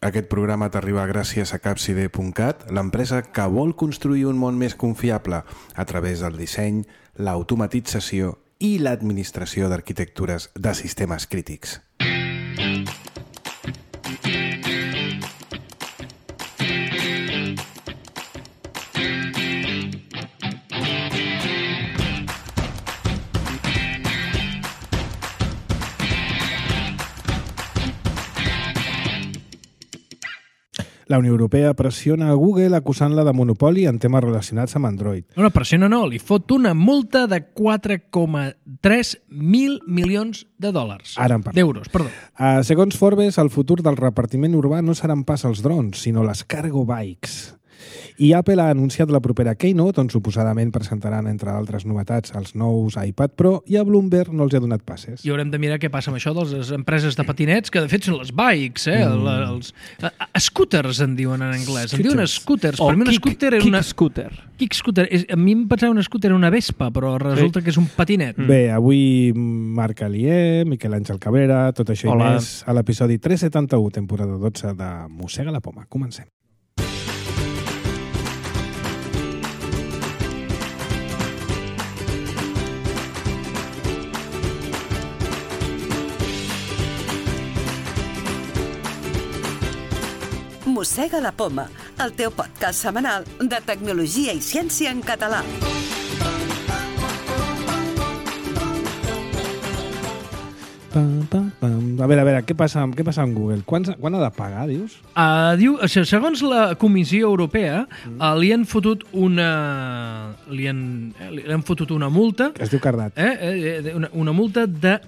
Aquest programa t'arriba gràcies a Capside.cat, l'empresa que vol construir un món més confiable a través del disseny, l'automatització i l'administració d'arquitectures de sistemes crítics. La Unió Europea pressiona a Google acusant-la de monopoli en temes relacionats amb Android. No, pressiona no, li fot una multa de 4,3 mil milions de dòlars. Ara en parlem. D'euros, perdó. Segons Forbes, el futur del repartiment urbà no seran pas els drons, sinó les cargo bikes. I Apple ha anunciat la propera Keynote, on suposadament presentaran, entre altres novetats, els nous iPad Pro, i a Bloomberg no els ha donat passes. I haurem de mirar què passa amb això de les empreses de patinets, que de fet són les bikes, els scooters en diuen en anglès. En diuen scooters. Per mi un scooter era una... Kick scooter. A mi em pensava un scooter era una Vespa, però resulta que és un patinet. Bé, avui Marc Alier, Miquel Àngel Cabrera, tot això i més a l'episodi 371, temporada 12 de Mossega la Poma. Comencem. Mossega la Poma, el teu podcast setmanal de tecnologia i ciència en català. A veure, què passa amb Google? Quan ha de pagar, dius? Diu, segons la Comissió Europea, li han fotut una multa... Es diu cardat. Una multa de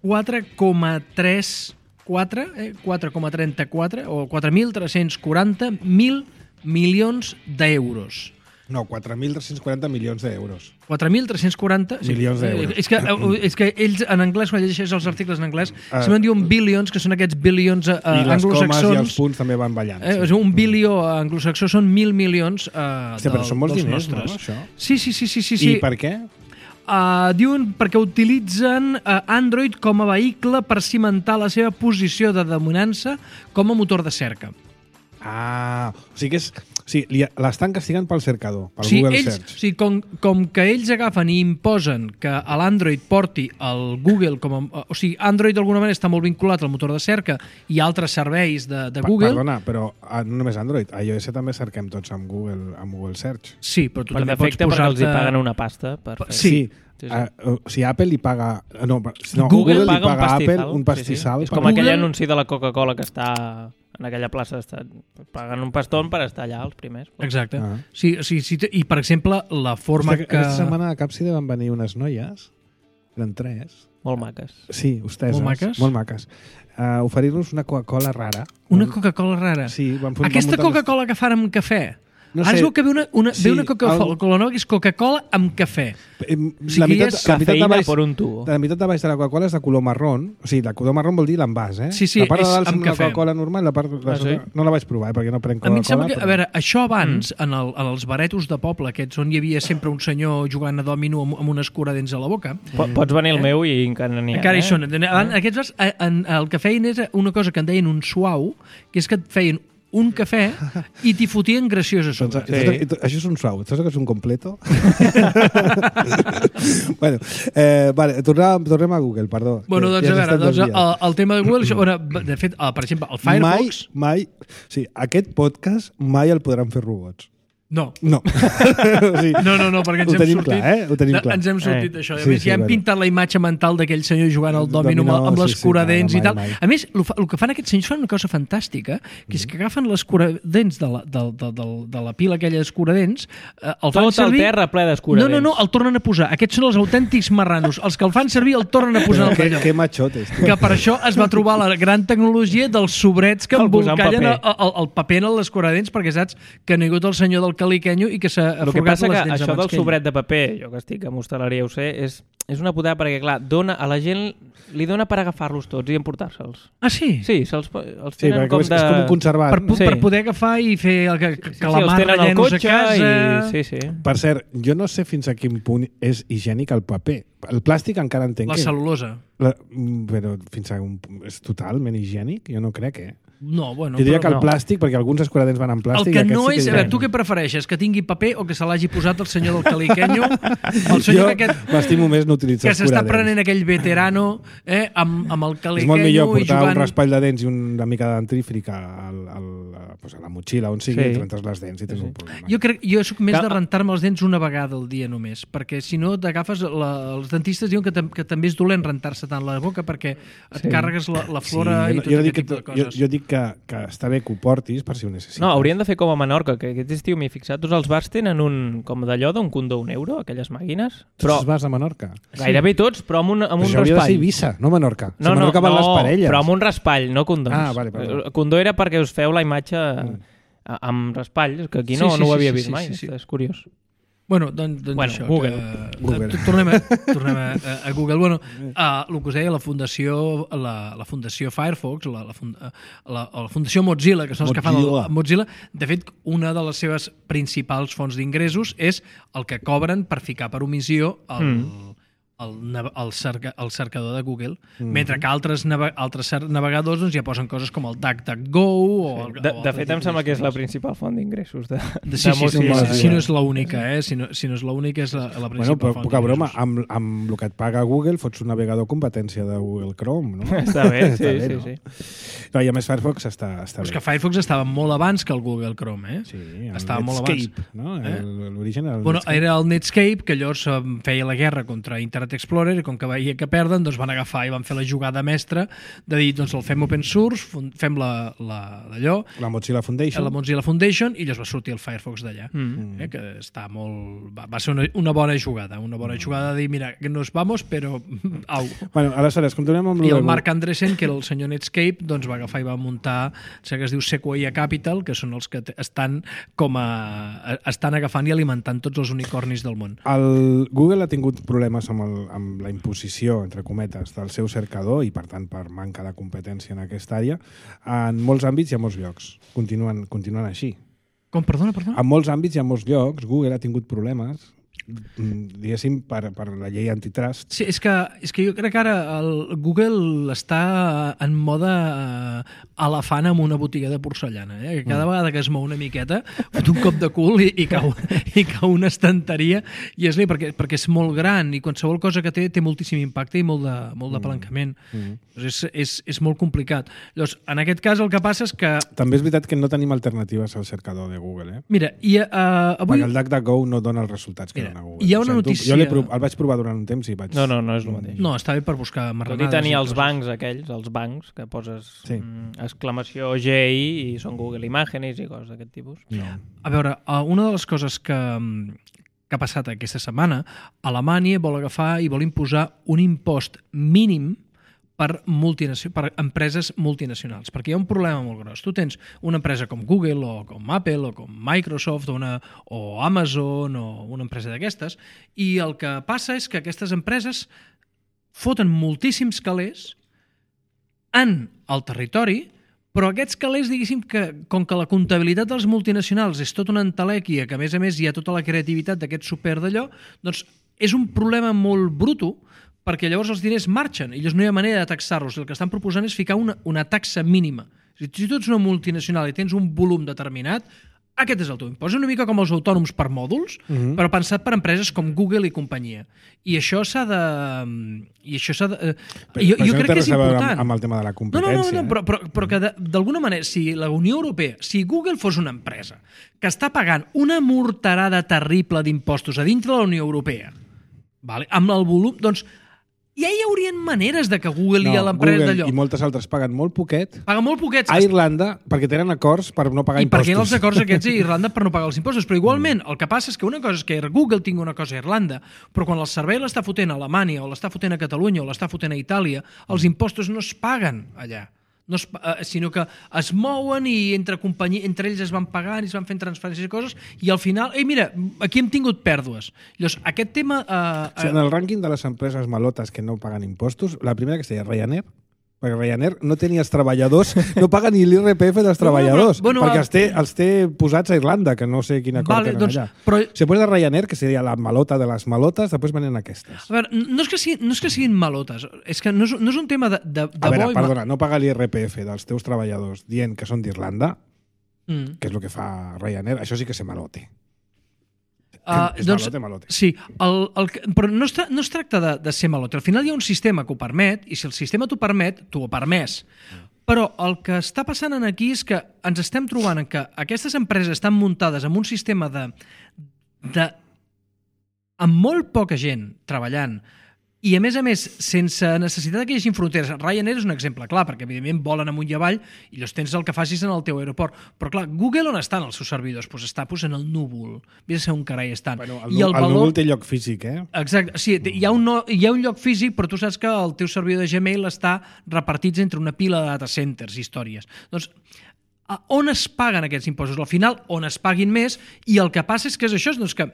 4,34 o 4.340.000 milions d'euros. No, 4.340 milions d'euros. 4.340 milions d'euros. És que ells en anglès, quan llegeixes els articles en anglès, sempre diuen billions, que són aquests billions anglosaxons. I les comes i els punts també van ballant. Un bilió anglosaxó són 1.000 milions però són molts diners, no, això? Sí. I per què? Diuen perquè utilitzen Android com a vehicle per cimentar la seva posició de dominança com a motor de cerca. O sigui que l'estan castigant pel cercador, pel Google Search. Sí, com que ells agafen i imposen que l'Android porti el Google com a... O sigui, Android d'alguna manera està molt vinculat al motor de cerca i altres serveis de Google. Perdona, però no només Android, a iOS també cerquem tots amb Google Search. Sí, però tu també pots posar-te... perquè els hi paguen una pasta. Sí. Si Apple li paga... Google li paga a Apple un pastissal. És com aquell anunci de la Coca-Cola que està en aquella plaça. Paguen un pastón per estar allà els primers. Exacte. Sí, i, per exemple, la forma que... Aquesta setmana a Capside van venir unes noies, eren 3. Molt maques. Sí, hosteses. Molt maques. Oferir-nos una Coca-Cola rara. Una Coca-Cola rara? Sí. Aquesta Coca-Cola que fan amb cafè. No sé. Ara es veu que ve una Coca-Cola nova que és Coca-Cola amb cafè. La meitat de baix de la Coca-Cola és de color marrón. O sigui, de color marrón vol dir l'envàs, Sí, la part de dalt amb la Coca-Cola normal, la part de sota no la vaig provar, perquè no prenc Coca-Cola. A mi em sembla que, a veure, això abans, en els baretos de poble, aquests on hi havia sempre un senyor jugant a dòmino amb un escuradents a la boca. Pots venir el meu i encara n'hi ha. Encara hi són. Aquests, el que feien és una cosa que en deien un suau, que és que et feien un cafè i t'hi fotien graciós a sobre. Això és un suau. Saps que és un completo? Tornem a Google, perdó. Bueno, doncs a veure, el tema de Google, de fet, per exemple, el Firefox... Sí, aquest podcast mai el podran fer robots. No. No, perquè ens hem sortit... Ho tenim clar. Ens hem sortit d'això. A més, ja hem pintat la imatge mental d'aquell senyor jugant al dòmino amb l'escuradents i tal. A més, el que fan aquests senyors fan una cosa fantàstica, que és que agafen l'escuradents de la pila aquella d'escuradents, el fan servir... Tot el terra ple d'escuradents. No, el tornen a posar. Aquests són els autèntics marranos. Els que el fan servir el tornen a posar en el lloc. Que machotes. Que per això es va trobar la gran tecnologia dels sobrets que embolcallen el paper en l'escuradents, perquè saps que no hi ha hagut el senyor del caliquenyo i que s'ha forgat les dents. El que passa que això del sobret de paper, jo que estic a hostaleria ho sé, és una putada perquè, clar, a la gent li dona per agafar-los tots i emportar-se'ls. Ah, sí? Sí, se'ls tenen com de... És com un conservat. Per poder agafar i fer que la mar rellenos a casa... Sí. Per cert, jo no sé fins a quin punt és higiènic el paper. El plàstic encara entenc La cel·lulosa. Però fins a és totalment higiènic? Jo no crec, No, bueno, jo diria que el no. plàstic, perquè alguns escuradents van en plàstic... El que no sí és... A veure, tu què prefereixes? Que tingui paper o que se l'hagi posat el senyor del caliquenyo? El senyor jo m'estimo més no utilitzar que s'està escuradents. prenent aquell veterano amb el caliquenyo és molt millor portar jugant... un raspall de dents i una mica de dentífric a la motxilla, on sigui, i rentes les dents i tens un problema. Jo soc més de rentar-me els dents una vegada al dia només, perquè si no t'agafes... Els dentistes diuen que també és dolent rentar-se tant la boca perquè et carregues la flora i tot aquest tipus de coses. Jo dic que està bé que ho portis per si ho necessites. No, haurien de fer com a Menorca, que aquest estiu m'he fixat, tots els bars tenen com d'allò d'un condó €1, aquelles màquines. Tots els bars a Menorca? Gairebé tots, però amb un això raspall. hauria de ser Eivissa, no Menorca. No, Menorca van les parelles. però amb un raspall, no condons. Ah, vale, perdó. Condó era perquè us feu la imatge amb raspall, que aquí no ho havia vist mai, és curiós. Bueno, doncs això. Google. Tornem a Google. Bueno, el que us deia, la Fundació Firefox, la Fundació Mozilla, que són els que fan el Mozilla, de fet, una de les seves principals fonts d'ingressos és el que cobren per ficar per omissió el cercador de Google, mentre que altres navegadors ja posen coses com el DuckDuckGo de fet, em sembla que és la principal font d'ingressos de Mozilla. Si no és l'única, si no és l'única, és la principal font. Poca broma, amb el que et paga Google fots un navegador competència de Google Chrome, no? Està bé, sí. No, i a més Firefox està bé. És que Firefox estava molt abans que el Google Chrome, Sí, estava molt abans. No? L'origen era el Bueno, Netscape. era el Netscape, que llavors feia la guerra contra Internet Explorer, i com que veia que perden, doncs van agafar i van fer la jugada mestra de dir, doncs el fem open source, fem d'allò, La Mozilla Foundation. la Mozilla Foundation, i llavors va sortir el Firefox d'allà. Que està molt... Va ser una bona jugada, de dir, mira, que nos vamos, però... Au. Bueno, aleshores, continuem amb... I el Mark Andreessen, que era el senyor Netscape, doncs va agafar i va muntar, que es diu Sequoia Capital, que són els que estan agafant i alimentant tots els unicornis del món. El Google ha tingut problemes amb la imposició, entre cometes, del seu cercador i, per tant, per manca de competència en aquesta àrea, en molts àmbits i a molts llocs. Continuen així. Com? Perdona? En molts àmbits i a molts llocs, Google ha tingut problemes, diguéssim, per la llei antitrust. Sí, és que jo crec que ara el Google està en mode elefant amb una botiga de porcellana. Cada vegada que es mou una miqueta, fot un cop de cul i cau una estanteria, i és perquè és molt gran i qualsevol cosa que té moltíssim impacte i molt d'apalancament. És molt complicat. Llavors, en aquest cas el que passa és que... També és veritat que no tenim alternatives al cercador de Google. Mira, i avui... Perquè el DuckDuckGo no dona els resultats que dona Google. Hi ha una notícia... Jo el vaig provar durant un temps i vaig... No és el mateix. No, està bé per buscar marranades. Tot i tenir els bancs aquells, que poses exclamació GI i són Google Imágenes i coses d'aquest tipus. No. A veure, una de les coses que ha passat aquesta setmana, Alemanya vol agafar i vol imposar un impost mínim per empreses multinacionals, perquè hi ha un problema molt gros. Tu tens una empresa com Google o com Apple o com Microsoft o Amazon o una empresa d'aquestes, i el que passa és que aquestes empreses foten moltíssims calés en el territori, però aquests calés, diguéssim, que com que la comptabilitat dels multinacionals és tota una entelèquia, que a més hi ha tota la creativitat d'aquest super d'allò, doncs és un problema molt bruto, perquè llavors els diners marxen i llavors no hi ha manera de taxar-los. El que estan proposant és ficar una taxa mínima. Si tu ets una multinacional i tens un volum determinat, aquest és el teu impost. És una mica com els autònoms per mòduls, però pensat per empreses com Google i companyia. I això s'ha de... Jo crec que és important. Amb el tema de la competència. No, però que d'alguna manera, si la Unió Europea, si Google fos una empresa que està pagant una morterada terrible d'impostos a dintre de la Unió Europea, amb el volum, doncs ja hi haurien maneres de que Google i l'empresa d'allò... I moltes altres paguen molt poquet. Paguen molt poquets. A Irlanda, perquè tenen acords per no pagar impostos. I perquè hi ha els acords aquests a Irlanda per no pagar els impostos. Però igualment, el que passa és que una cosa és que Google tingui una cosa a Irlanda, però quan el servei l'està fotent a Alemanya o l'està fotent a Catalunya o l'està fotent a Itàlia, els impostos no es paguen allà. Sinó que es mouen i entre ells es van pagant i es van fent transferències i coses, i al final, mira, aquí hem tingut pèrdues. Llavors, aquest tema... En el rànquing de les empreses malotes que no paguen impostos, la primera que es deia Ryanair, Perquè Ryanair no té ni els treballadors, no paga ni l'IRPF dels treballadors, perquè els té posats a Irlanda, que no sé quina acord tenen allà. Però... Si després de Ryanair, que seria la malota de les malotes, després venen aquestes. A veure, no és que siguin malotes, és que no és un tema de a veure, perdona, no paga l'IRPF dels teus treballadors dient que són d'Irlanda, que és el que fa Ryanair, això sí que és malote. És malote. Sí, però no es tracta de ser malote. Al final hi ha un sistema que ho permet, i si el sistema t'ho permet, t'ho ha permès. Però el que està passant aquí és que ens estem trobant que aquestes empreses estan muntades amb un sistema amb molt poca gent treballant, i a més, sense necessitat que hi hagi fronteres. Ryanair és un exemple clar, perquè evidentment volen amunt i avall i els tens el que facis en el teu aeroport. Però clar, Google on estan els seus servidors? Doncs està en el núvol. Vés a ser un carai estan. Bueno, el núvol té lloc físic, Exacte. Sí, hi ha un lloc físic, però tu saps que el teu servidor de Gmail està repartit entre una pila de data centers i històries. Doncs on es paguen aquests impostos? Al final, on es paguin més, i el que passa és que és això, doncs que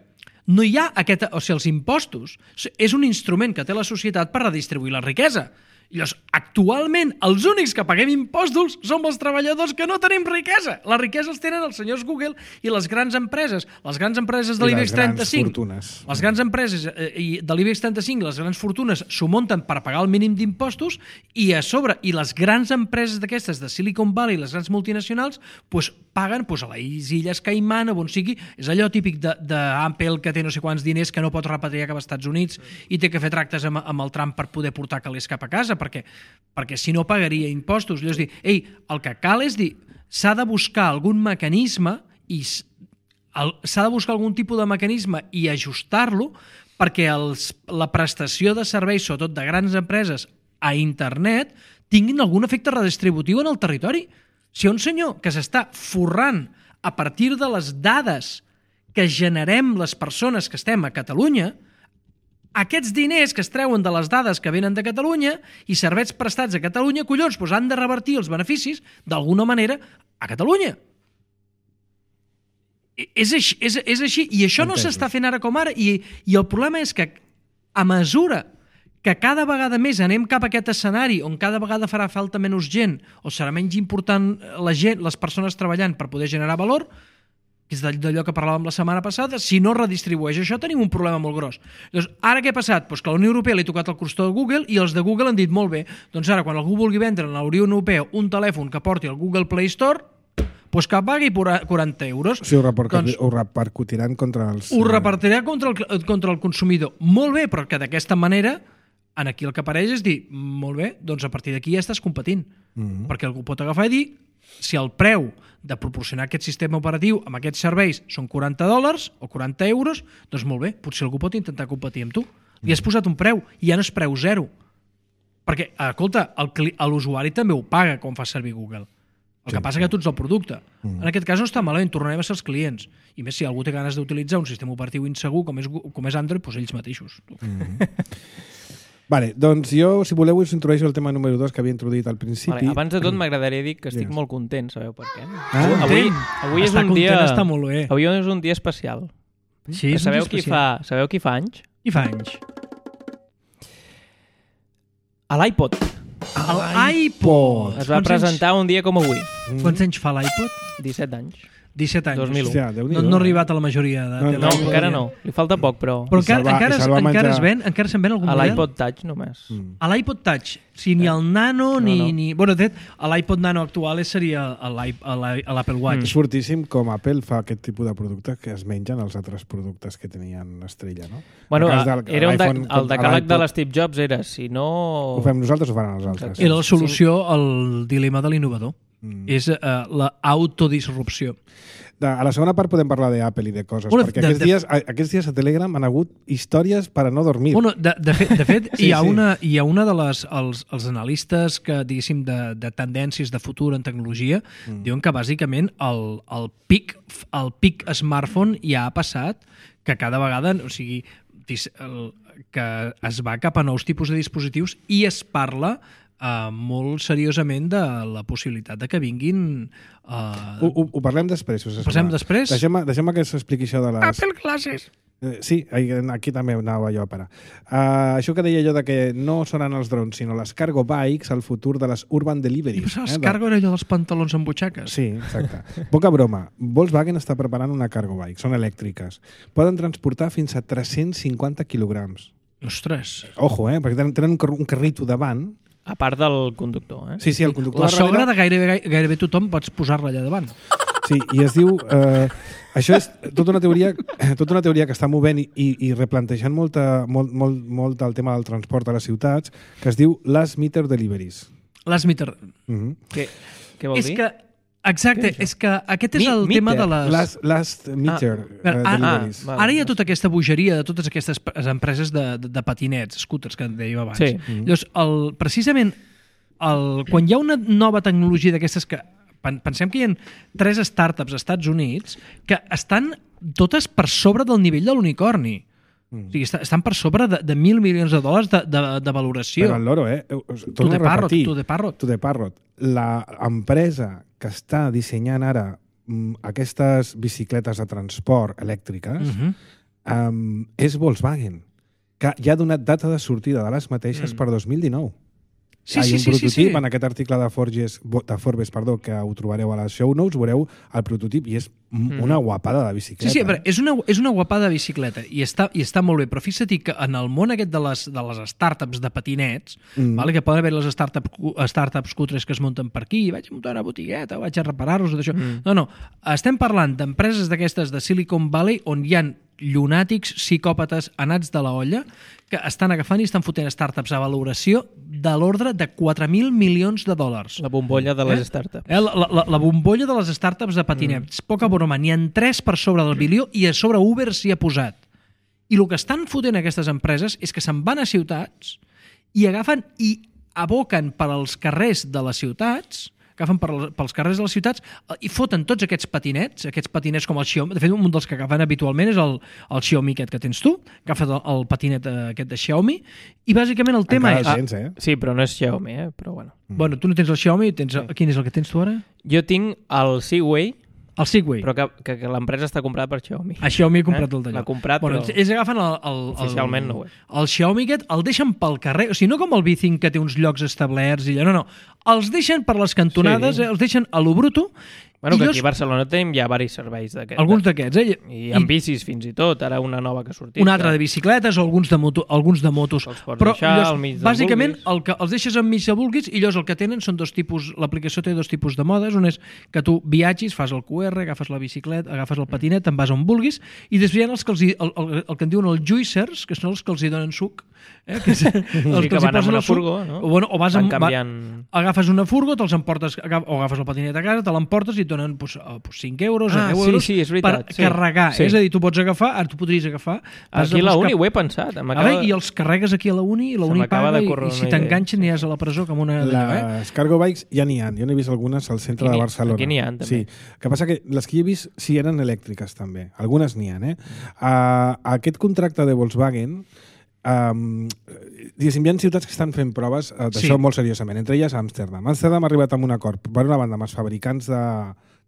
no hi ha els impostos és un instrument que té la societat per redistribuir la riquesa. I llavors, actualment, els únics que paguem impostos som els treballadors que no tenim riquesa. La riquesa els tenen els senyors Google i les grans empreses. Les grans empreses de l'IBEX 35. Les grans empreses de l'IBEX 35, les grans fortunes, s'ho munten per pagar el mínim d'impostos i a sobre, i les grans empreses d'aquestes de Silicon Valley, les grans multinacionals, paguen a les Illes Caiman o on sigui. És allò típic d'Apple que té no sé quants diners que no pot repatriar cap als Estats Units i té que fer tractes amb el Trump per poder portar calés cap a casa, perquè si no pagaria impostos. És dir, el que cal és dir, s'ha de buscar algun mecanisme i s'ha de buscar algun tipus de mecanisme i ajustar-lo perquè la prestació de serveis, sobretot de grans empreses a internet, tinguin algun efecte redistributiu en el territori. Si hi ha un senyor que s'està forrant a partir de les dades que generem les persones que estem a Catalunya, aquests diners que es treuen de les dades que venen de Catalunya i serveis prestats a Catalunya, collons, han de revertir els beneficis d'alguna manera a Catalunya. És així, i això no s'està fent ara com ara, i el problema és que a mesura que cada vegada més anem cap a aquest escenari on cada vegada farà falta menys gent o serà menys important les persones treballant per poder generar valor, que és d'allò que parlàvem la setmana passada, si no redistribueix això tenim un problema molt gros. Llavors, ara què ha passat? Doncs que a la Unió Europea li ha tocat el crostó de Google i els de Google han dit molt bé, doncs ara quan algú vulgui vendre a la Unió Europea un telèfon que porti el Google Play Store, doncs que pagui 40 euros. Sí, ho repercutiran contra els... Ho repartirà contra el consumidor. Molt bé, però que d'aquesta manera aquí el que apareix és dir, molt bé, doncs a partir d'aquí ja estàs competint. Perquè algú pot agafar i dir, si el preu de proporcionar aquest sistema operatiu amb aquests serveis són $40 o 40 euros, doncs molt bé, potser algú pot intentar competir amb tu. Li has posat un preu i ja no és preu zero. Perquè, escolta, l'usuari també ho paga quan fa servir Google. El que passa que tu ets el producte. En aquest cas no està malament, tornarem a ser els clients. I més si algú té ganes d'utilitzar un sistema operatiu insegur com és Android, doncs ells mateixos. Vale, doncs jo, si voleu, us introdueixo el tema número 2 que havia introduït al principi. Vale, abans de tot m'agradaria dir que estic molt content, sabeu per què? Avui és un dia... Està molt bé. Avui és un dia especial. Sí, és sabeu qui fa anys? Qui fa anys? L'iPod. L'iPod! Es va presentar un dia com avui. Quants anys fa l'iPod? 17 anys. 17 anys. 2001. Hòstia, no ha arribat a la majoria de... No, encara no. Li falta poc, però... Però encara se'n ven algun model? A l'iPod Touch només. A l'iPod Touch. Sí, ni el Nano, ni... Bueno, de fet, l'iPod Nano actual seria l'Apple Watch. És fortíssim com Apple fa aquest tipus de productes que es mengen els altres productes que tenien estrella, no? Bueno, el decàleg de l'Steve Jobs era, si no... Ho fem nosaltres o ho faran els altres? Era la solució al dilema de l'innovador. És l'autodisrupció. A la segona part podem parlar d'Apple i de coses, perquè aquests dies a Telegram han hagut històries per a no dormir. Bueno, de fet hi ha una de els analistes que, diguéssim, de tendències de futur en tecnologia, diuen que bàsicament el pic smartphone ja ha passat, que cada vegada, o sigui, que es va cap a nous tipus de dispositius i es parla molt seriosament de la possibilitat de que vinguin... Ho parlem després. Ho parlem després? Deixem que s'expliqui això de les... Apple Glasses. Sí, aquí també anava jo a parar. Això que deia jo de que no seran els drons, sinó les cargo bikes, el futur de les urban deliveries. Els cargo era allò dels pantalons amb butxaques? Sí, exacte. Poca broma. Volkswagen està preparant una cargo bike, són elèctriques. Poden transportar fins a 350 quilograms. Ostres. Ojo, perquè tenen un carrito davant. A part del conductor, Sí, el conductor. La sogra de gairebé tothom pots posar-la allà davant. Sí, i es diu... això és tota una teoria que està movent i replantejant molt el tema del transport a les ciutats, que es diu last meter deliveries. Last meter. Què vol dir? Exacte, és que aquest és el tema de les... Last meter deliveries. Ara hi ha tota aquesta bogeria de totes aquestes empreses de patinets, scooters, que dèiem abans. Sí. Llavors, precisament, quan hi ha una nova tecnologia d'aquestes que... Pensem que hi ha 3 startups als Estats Units que estan totes per sobre del nivell de l'unicorni. O sigui, estan per sobre de $1.000 milions de valoració. Però el loro, To the Parrot. L'empresa que està dissenyant ara aquestes bicicletes de transport elèctriques és Volkswagen, que ja ha donat data de sortida de les mateixes per 2019. Sí. Un prototip, en aquest article de Forbes, que ho trobareu a les show notes, veureu el prototip i és una guapada de bicicleta. Sí, però és una guapada de bicicleta i està molt bé, però fixa't que en el món aquest de les startups de patinets, que poden haver les startups cutres que es munten per aquí, vaig muntar una botigueta, vaig a reparar-los, d'això. No, estem parlant d'empreses d'aquestes de Silicon Valley on hi ha llunàtics, psicòpates anats de la olla que estan agafant i estan fotent startups a valoració de l'ordre de $4.000 milions. La bombolla de les startups. La bombolla de les startups de patinets. Poca broma, n'hi ha 3 per sobre del bilió i a sobre Uber s'hi ha posat. I el que estan fotent aquestes empreses és que se'n van a ciutats i agafen i aboquen per als carrers de les ciutats, agafen pels carrers de les ciutats i foten tots aquests patinets com el Xiaomi. De fet, un dels que agafen habitualment és el Xiaomi aquest que tens tu, agafes el patinet aquest de Xiaomi i bàsicament el tema és... Sí, però no és Xiaomi, però bueno. Bueno, tu no tens el Xiaomi, quin és el que tens tu ara? Jo tinc el Segway. El Segway. Però que l'empresa està comprada per Xiaomi. A Xiaomi ha comprat el d'allò. L'ha comprat, però... Ells agafen oficialment no ho és. El Xiaomi aquest el deixen pel carrer, o sigui, no com el Bithink que té uns llocs establerts i allò, no. Els deixen per les cantonades, els deixen a lo bruto. Bueno, que aquí a Barcelona tenim ja diversos serveis d'aquests. Alguns d'aquests, I amb bicis fins i tot, ara una nova que ha sortit. Una altra de bicicletes o alguns de motos. Els pots deixar al mig del bàsicament, el que els deixes al mig de vulguis i llavors el que tenen són 2 tipus, l'aplicació té 2 tipus de modes, un és que tu viatgis, fas el QR, agafes la bicicleta, agafes el patinet, te'n vas on vulguis, i després hi ha els que el que en diuen els juicers, que són els que els hi donen suc. Que van amb una furgo, no? O vas agafes una furgo, te'ls emportes, o agafes el patinet a casa, te l'emportes i et donen 5 euros, 10 euros per carregar. És a dir, tu pots agafar, ara tu podries agafar... Aquí a la Uni ho he pensat. I els carregues aquí a la Uni i la Uni paga i si t'enganxen aniràs a la presó com una... Les cargo bikes ja n'hi ha. Jo n'he vist algunes al centre de Barcelona. Aquí n'hi ha, també. Sí. Que passa que les que he vist sí eren elèctriques també. Algunes n'hi ha, Aquest contracte de Volkswagen diguéssim, hi ha ciutats que estan fent proves d'això molt seriosament, entre elles Amsterdam. Amsterdam ha arribat amb un acord, per una banda, amb els fabricants de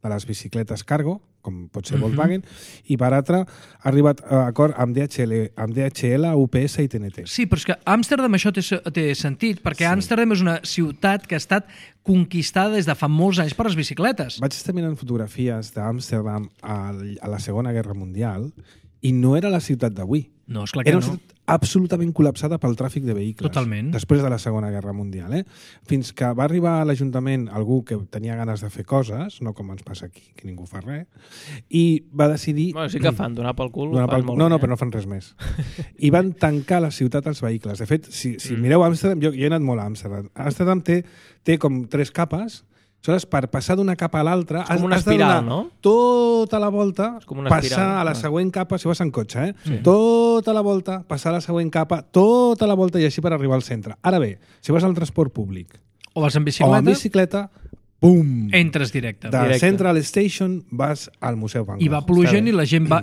les bicicletes cargo, com pot ser Volkswagen, i per altra ha arribat a acord amb DHL, UPS i TNT. Sí, però és que Amsterdam això té sentit, perquè Amsterdam és una ciutat que ha estat conquistada des de fa molts anys per les bicicletes. Vaig estar mirant fotografies d'Amsterdam a la Segona Guerra Mundial i no era la ciutat d'avui. No, esclar que era una ciutat absolutament col·lapsada pel tràfic de vehicles. Totalment. Després de la Segona Guerra Mundial. Fins que va arribar a l'Ajuntament algú que tenia ganes de fer coses, no com ens passa aquí, que ningú fa res, i va decidir... Bueno, sí que fan, donar pel cul. No, però no fan res més. I van tancar la ciutat als vehicles. De fet, si mireu Amsterdam, jo he anat molt a Amsterdam. Amsterdam té com 3 capes. Aleshores, per passar d'una capa a l'altra, has de donar tota la volta, passar a la següent capa, si vas en cotxe, tota la volta, passar a la següent capa, tota la volta i així per arribar al centre. Ara bé, si vas al transport públic o vas en bicicleta, Pum! Entres directe. De Central Station vas al Museu Van Gogh. I va plogent i la gent va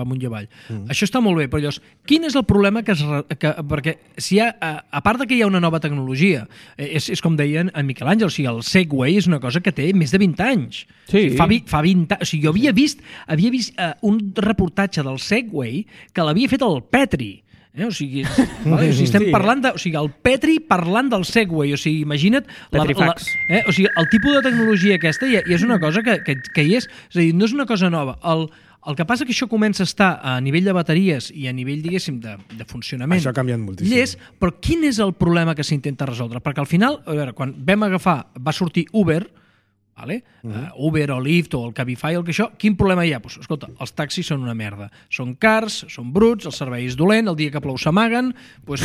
amunt i avall. Això està molt bé, però llavors, quin és el problema perquè si hi ha, a part de que hi ha una nova tecnologia, és com deien en Miquel Àngel, o sigui, el Segway és una cosa que té més de 20 anys. Sí. Fa 20 anys. O sigui, jo havia vist un reportatge del Segway que l'havia fet el Petri. O sigui, estem parlant de... O sigui, el Petri parlant del Segway. O sigui, imagina't... Petrifax. O sigui, el tipus de tecnologia aquesta i és una cosa que hi és. És a dir, no és una cosa nova. El que passa que això comença a estar a nivell de bateries i a nivell, diguéssim, de funcionament. Això ha canviat moltíssim. Però quin és el problema que s'intenta resoldre? Perquè al final, a veure, quan va sortir Uber, vale? Uber o Lyft o el Cabify, quin problema hi ha? Pues, escolta, els taxis són una merda. Són cars, són bruts, el servei és dolent, el dia que plou s'amaguen... Pues,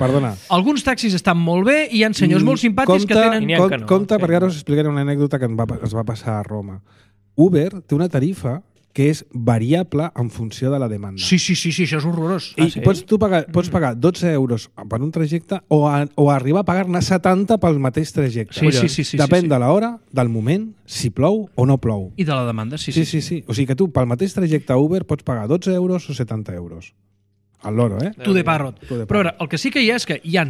perdona. Alguns taxis estan molt bé i hi ha senyors molt simpàtics que tenen... Compte, perquè ara us explicaré una anècdota que es va passar a Roma. Uber té una tarifa que és variable en funció de la demanda. Sí, això és horrorós. I pots pagar 12 euros per un trajecte o arribar a pagar-ne 70 pel mateix trajecte. Sí. Depèn de l'hora, del moment, si plou o no plou. I de la demanda, sí. O sigui que tu, pel mateix trajecte a Uber, pots pagar 12 euros o 70 euros. Al loro, Tu de parrot. Però ara, el que sí que hi ha és que hi ha...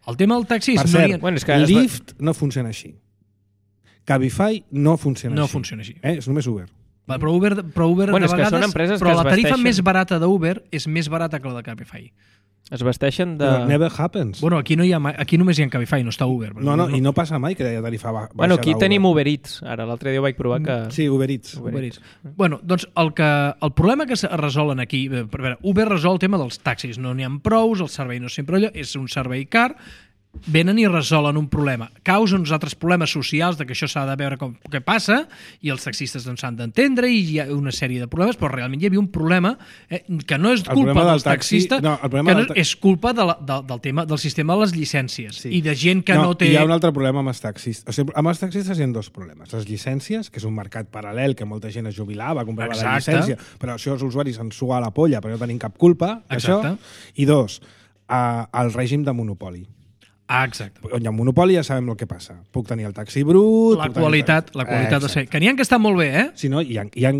El tema del taxi... Per cert, Lyft no funciona així. Cabify no funciona així. No funciona així. És només Uber. Però Uber de vegades... Són empreses però que la tarifa més barata d'Uber és més barata que la de Cabify. Es vesteixen de... Però never happens. Bueno, aquí només hi ha Cabify, no està Uber. No, i no passa mai que hi ha tarifa baixa Bueno, aquí tenim Uber Eats. Ara, l'altre dia ho vaig provar que... Sí, Uber Eats. Bueno, doncs el problema que es resolen aquí... A veure, Uber resol el tema dels taxis. No n'hi ha prous, el servei no és sempre allò, és un servei car... Venen i resolen un problema. Causen uns altres problemes socials de que això s'ha de veure què passa i els taxistes no s'han d'entendre i hi ha una sèrie de problemes, però realment hi havia un problema que no és culpa dels taxistes, és culpa del tema del sistema de les llicències i de gent que no té... Hi ha un altre problema amb els taxistes. O sigui, amb els taxistes hi ha dos problemes. Les llicències, que és un mercat paral·lel que molta gent es jubilava, comprava la llicència, però això els usuaris ens sua a la polla perquè no tenim cap culpa, això. I dos, el règim de monopoli. Exacte. On hi ha un monopoli ja sabem el que passa. Puc tenir el taxi brut... La qualitat de ser... Que n'hi ha que estan molt bé, eh? Sí, no? Hi ha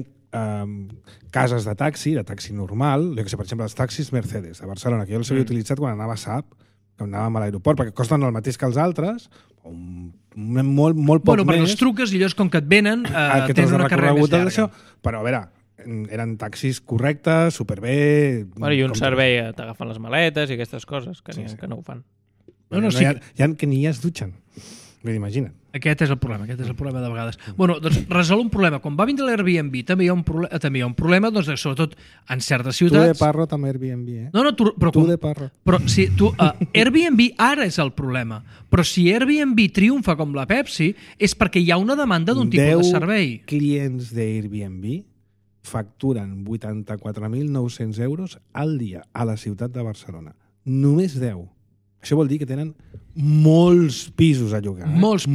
cases de taxi normal, per exemple, els taxis Mercedes de Barcelona, que jo els havia utilitzat quan anava a SAP, quan anàvem a l'aeroport, perquè costen el mateix que els altres, molt poc més... perquè els truques i llavors, com que et venen, tens una carrera més llarga. Però, a veure, eren taxis correctes, superbé... I un servei, t'agafen les maletes i aquestes coses, que no ho fan. Hi ha que ni es dutxen. Imagina't. Aquest és el problema de vegades. Bueno, doncs resol un problema. Quan va vindre l'Airbnb també hi ha un problema, doncs, sobretot en certes ciutats... Tu de parrot amb Airbnb, eh? No, tu de parrot. Però si Airbnb ara és el problema. Però si Airbnb triomfa com la Pepsi és perquè hi ha una demanda d'un tipus de servei. 10 clients d'Airbnb facturen 84.900 euros al dia a la ciutat de Barcelona. Només 10. Això vol dir que tenen molts pisos a llogar. Molts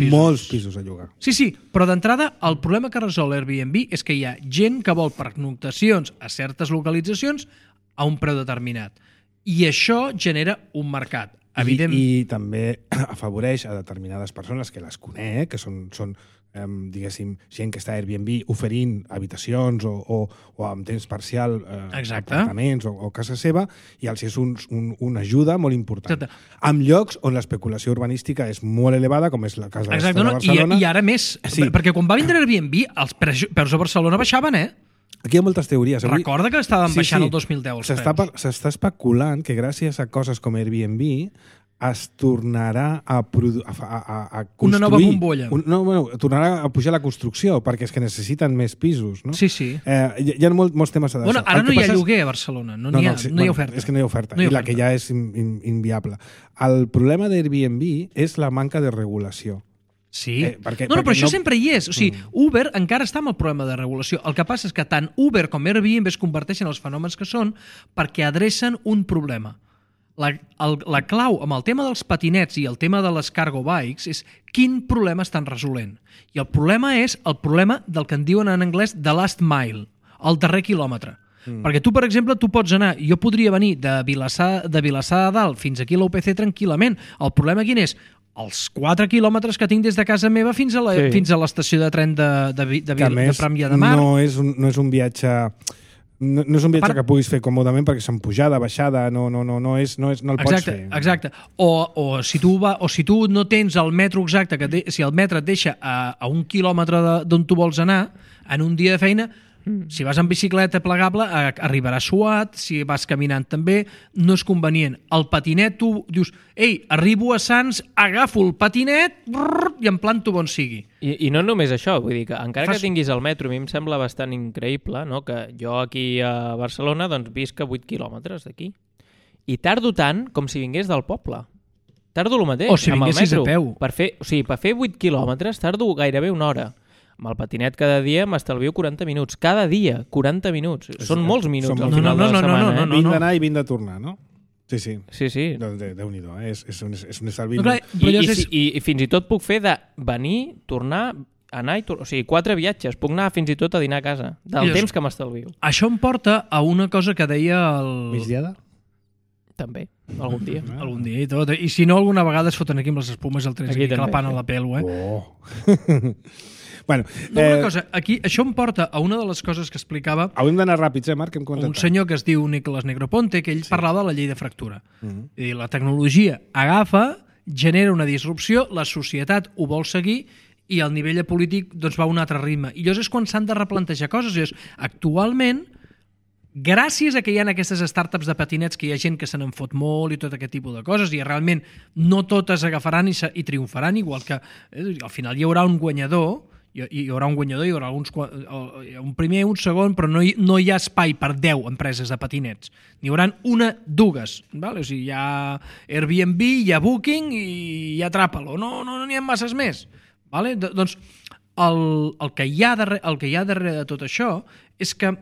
pisos a llogar. Sí, però d'entrada el problema que resol Airbnb és que hi ha gent que vol pernoctacions a certes localitzacions a un preu determinat. I això genera un mercat. I també afavoreix a determinades persones que les conec, que són diguéssim, gent que està a Airbnb oferint habitacions o amb temps parcial apartaments o casa seva, i els és una ajuda molt important. Exacte. Amb llocs on l'especulació urbanística és molt elevada, com és la casa de Barcelona. I ara més, perquè quan va vindre Airbnb els preus a Barcelona baixaven, Aquí hi ha moltes teories. Recorda que estaven baixant el 2010 els preus. S'està especulant que gràcies a coses com Airbnb es tornarà a construir... Una nova bombolla. Tornarà a pujar la construcció, perquè és que necessiten més pisos, no? Sí. Hi ha molts temes a d'això. Ara no hi ha lloguer a Barcelona, no hi ha oferta. És que no hi ha oferta, i la que hi ha és inviable. El problema d'Airbnb és la manca de regulació. Sí. Però això sempre hi és. O sigui, Uber encara està amb el problema de regulació. El que passa és que tant Uber com Airbnb es converteixen en els fenòmens que són perquè adrecen un problema. La clau amb el tema dels patinets i el tema de les cargo bikes és quin problema estan resolent. I el problema és el problema del que en diuen en anglès the last mile, el darrer quilòmetre. Perquè tu, per exemple, pots anar... Jo podria venir de Vilassar de Dalt fins aquí a l'UPC tranquil·lament. El problema quin és? els 4 quilòmetres que tinc des de casa meva fins a l'estació de tren de Premià de Mar. No és un viatge... No és un viatge que puguis fer còmodament perquè són pujada, baixada, no el pots fer. Exacte. O si tu no tens el metro exacte, si el metre et deixa a 1 quilòmetre d'on tu vols anar, en un dia de feina, si vas en bicicleta plegable arribaràs suat, si vas caminant també, no és convenient. El patinet, tu dius, ei, arribo a Sants, agafo el patinet i em planto on sigui. I no només això, vull dir que encara que tinguis el metro, a mi em sembla bastant increïble, no? Que jo aquí a Barcelona doncs visc a 8 quilòmetres d'aquí. I tardo tant com si vingués del poble. Tardo el mateix, o si amb el metro. A peu. Per fer 8 quilòmetres tardo gairebé una hora. Amb el patinet cada dia m'estalvio 40 minuts. Cada dia, 40 minuts. Són molts minuts al final de la setmana. 20 d'anar i 20 de tornar, no? Sí. Doncs Déu-n'hi-do, és un estalvi. I fins i tot puc fer de venir, tornar, anar i tornar. O sigui, 4 viatges. Puc anar fins i tot a dinar a casa. Del temps que m'estalvio. Això em porta a una cosa que deia el... Migdiada? També, algun dia. Algun dia i tot. I si no, alguna vegada es foten aquí amb les espumes al tren, aquí clapant a la pèl, Bueno, una cosa, aquí, això em porta a una de les coses que explicava hauríem d'anar ràpids, Marc? Un senyor que es diu Nicolás Negroponte, que ell parlava de la llei de fractura. És dir, la tecnologia agafa, genera una disrupció, la societat ho vol seguir i el nivell polític doncs, va a un altre ritme. I llavors és quan s'han de replantejar coses. Llavors, actualment, gràcies a que hi ha aquestes startups de patinets que hi ha gent que se n'en fot molt i tot aquest tipus de coses i realment no totes agafaran i triomfaran, igual que al final hi haurà un guanyador, hi haurà un primer, un segon, però no hi ha espai per 10 empreses de patinets. N'hi haurà dues. Val? O sigui, hi ha Airbnb, hi ha Booking i hi ha Trapalo. No n'hi ha masses més. Vale? Doncs el que hi ha darrere de tot això és que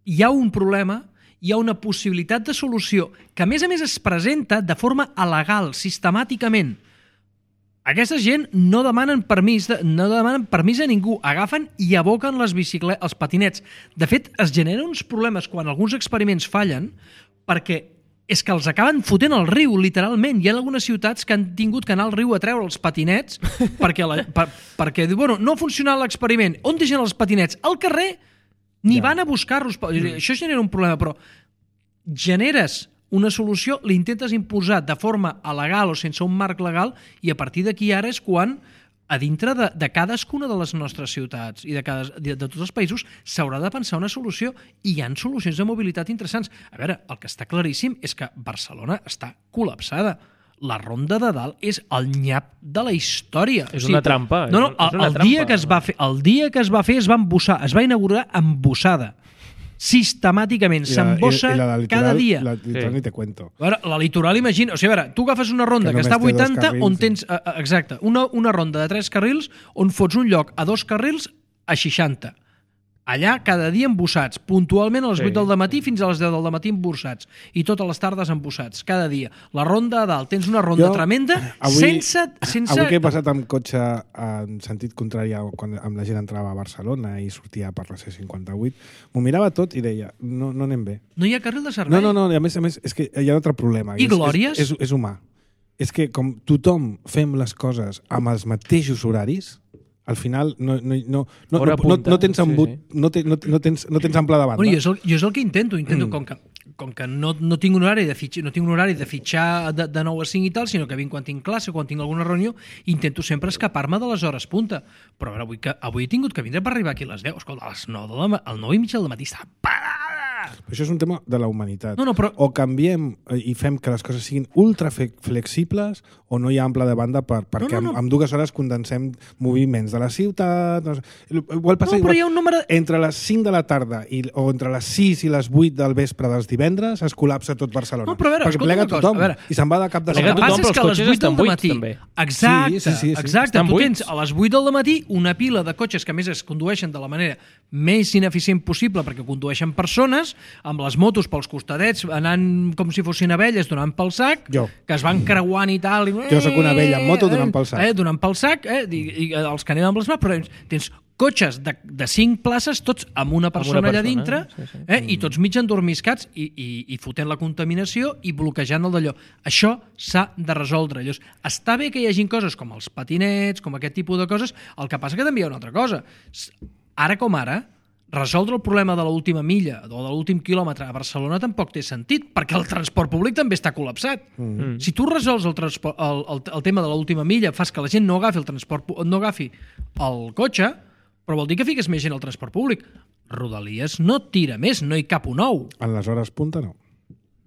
hi ha un problema, hi ha una possibilitat de solució que a més es presenta de forma alegal, sistemàticament. Aquesta gent no demanen permís a ningú, agafen i aboquen els patinets. De fet, es generen uns problemes quan alguns experiments fallen perquè és que els acaben fotent al riu, literalment. Hi ha algunes ciutats que han tingut que anar al riu a treure els patinets perquè bueno, no ha funcionat l'experiment. On deixen els patinets? Al carrer. Ni van a buscar-los. Això genera un problema, però generes una solució, l'intentes imposar de forma legal o sense un marc legal i a partir d'aquí ara és quan a dintre de cadascuna de les nostres ciutats i de tots els països s'haurà de pensar una solució i hi ha solucions de mobilitat interessants. A veure, el que està claríssim és que Barcelona està col·lapsada. La Ronda de Dalt és el nyap de la història. És una trampa. El dia que es va fer es va embussar, es va inaugurar embussada. Sistemàticament, s'embossa cada dia. La litoral ni te cuento. La litoral, imagina, o sigui, a veure, tu agafes una ronda que està a 80 on tens, exacte, una ronda de 3 carrils on fots un lloc a 2 carrils a 60. Allà cada dia embussats, puntualment a les 8 del matí fins a les 10 del matí embussats i totes les tardes embussats, cada dia. La ronda a dalt, tens una ronda tremenda sense... Avui que he passat amb cotxe en sentit contrari quan amb la gent entrava a Barcelona i sortia per la C58, m'ho mirava tot i deia, no anem bé. No hi ha carril de servei? No, a més, és que hi ha un altre problema. I Glòries? És humà. És que com tothom fem les coses amb els mateixos horaris, al final no tens embut, no tens ample de banda. Bueno, jo és el que intento com que no tinc un horari de fitxar de 9 a 5 i tal, sinó que vinc quan tinc classe, quan tinc alguna reunió, intento sempre escapar-me de les hores punta. Però avui he tingut que vindre per arribar aquí a les 10. Escolta, a les 9 i mitja del matí està parada. Això és un tema de la humanitat. Però... O canviem i fem que les coses siguin ultra flexibles o no hi ha ample de banda perquè en 2 hores condensem moviments de la ciutat. Igual passa igual. Hi ha un número... Entre les 5 de la tarda o entre les 6 i les 8 del vespre dels divendres es col·lapsa tot Barcelona. No, però a veure, perquè plega tothom i se'n va de cap de setmana. El que passa és que a les 8 del matí... Exacte. Tu tens a les 8 del matí una pila de cotxes que a més es condueixen de la manera més ineficient possible perquè condueixen persones persones amb les motos pels costadets, anant com si fossin abelles, donant pel sac, que es van creuant i tal. Jo sóc una abella amb moto donant pel sac. Donant pel sac, i els que anem amb les mans, però tens cotxes de 5 places, tots amb una persona allà dintre, i tots mig endormiscats i fotent la contaminació i bloquejant el d'allò. Això s'ha de resoldre. Està bé que hi hagin coses com els patinets, com aquest tipus de coses, el que passa que també hi ha una altra cosa. Ara com ara, resoldre el problema de l'última milla o de l'últim quilòmetre a Barcelona tampoc té sentit, perquè el transport públic també està col·lapsat. Si tu resols el tema de l'última milla, fas que la gent no agafi el cotxe, però vol dir que fiques més gent al transport públic. Rodalies no tira més, no hi cap un ou. En les hores punta no.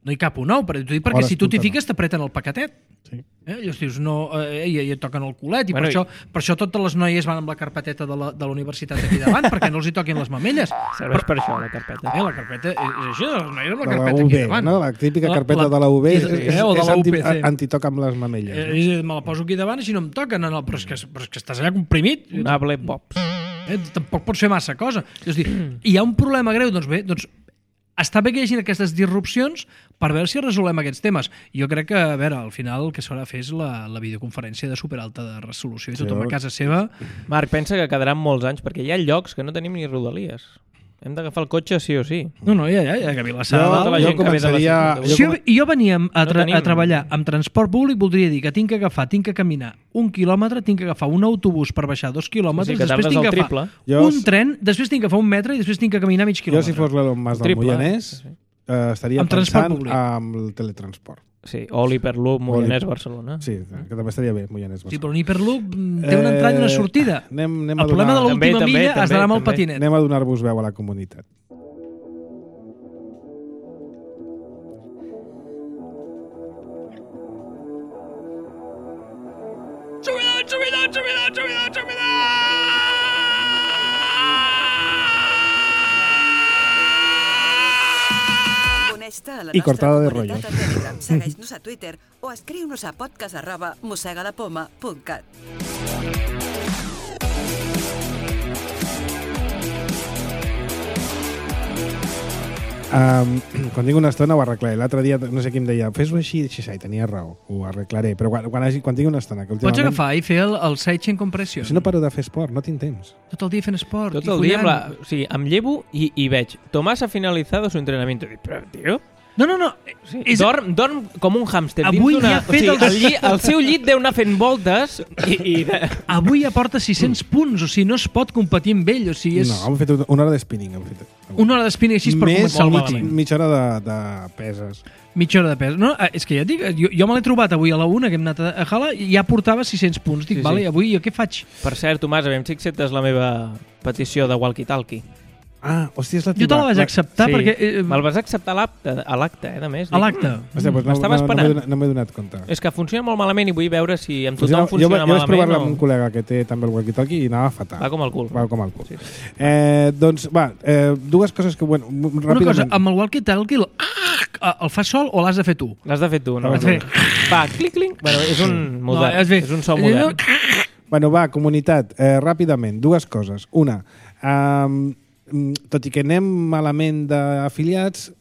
No hi cap un ou, perquè si tu t'hi fiques t'apreten el paquetet. Sí. Llavors dius, no, i et toquen el culet, i per això totes les noies van amb la carpeteta de la universitat aquí davant, perquè no els hi toquin les mamelles. Serveix per això, la carpeta. La carpeta és això, les noies amb la carpeta aquí davant. No? La típica carpeta de la UB és antitoca amb les mamelles. Me la poso aquí davant, així no em toquen, però és que estàs allà comprimit. Able Pops. Tampoc pot fer massa cosa. És dir, hi ha un problema greu, doncs bé, està bé que hi hagi aquestes disrupcions per veure si resolem aquests temes. Jo crec que, a veure, al final el que s'haurà de fer és la videoconferència de superalta de resolució i tothom a casa seva. Marc, pensa que quedaran molts anys, perquè hi ha llocs que no tenim ni rodalies. Hem d'agafar el cotxe sí o sí. No, ja, que a Vilassar de Dalt... Jo començaria... Si jo venia a treballar amb transport públic, voldria dir que tinc que caminar 1 quilòmetre, tinc que agafar un autobús per baixar 2 quilòmetres, després tinc que agafar un tren, després tinc que agafar 1 metre i després tinc que caminar mig quilòmetre. Jo, si fos l'Elon Musk del Moianès, estaria pensant amb el teletransport. Sí, o l'Hyperloop Moianès-Barcelona. Sí, que també estaria bé, Moianès-Barcelona. Sí, però l'Hyperloop té una entrada i una sortida. El problema de l'última milla es darà amb el patinet. Anem a donar-vos veu a la comunitat. I cortada de rollo. Segueix-nos a Twitter o escriu-nos a podcast@mossegadapoma.cat. Quan tinc una estona ho arreglaré. L'altre dia, no sé qui em deia, fes-ho així, tenia raó, ho arreglaré. Però quan tinc una estona... Que Pots agafar i fer el sidechain compression. Si no paro de fer esport, no tinc temps. Tot el dia fent esport. Tot el dia, o sigui, em llevo i veig Tomàs ha finalizado su entrenamiento. I dic, però, tio... No. Sí. Dorm com un hàmster. Avui ja ha fet el seu llit deu anar fent voltes Avui ja porta 600 punts, o sigui, no es pot competir amb ell. O sigui, No, hem fet una hora de spinning. Una hora de spinning així per començar el meeting. Mitja hora de peses. Mitja hora de pes. No, és que ja et dic, jo me l'he trobat avui a la 1, que hem anat a Jala, i ja portava 600 punts. Dic, vale, avui jo què faig? Per cert, Tomàs, aviam si acceptes la meva petició de walkie-talkie. Hòstia, és la jo te la vaig acceptar perquè... Me'l vas acceptar a l'acte, a més. A l'acte? M'estava esperant. No m'he donat compte. És que funciona molt malament i vull veure si amb tothom funciona malament. Jo vaig provar-la amb un col·lega que té també el walkie-talkie i anava fatal. Va com el cul. Sí. Doncs, dues coses que... ràpidament... Una cosa, amb el walkie-talkie el fas sol o l'has de fer tu? L'has de fer tu, no? Va, clic. Bueno, és un modern. És un so modern. Va, comunitat, ràpidament, dues coses. Una, tot i que anem malament d'afiliats,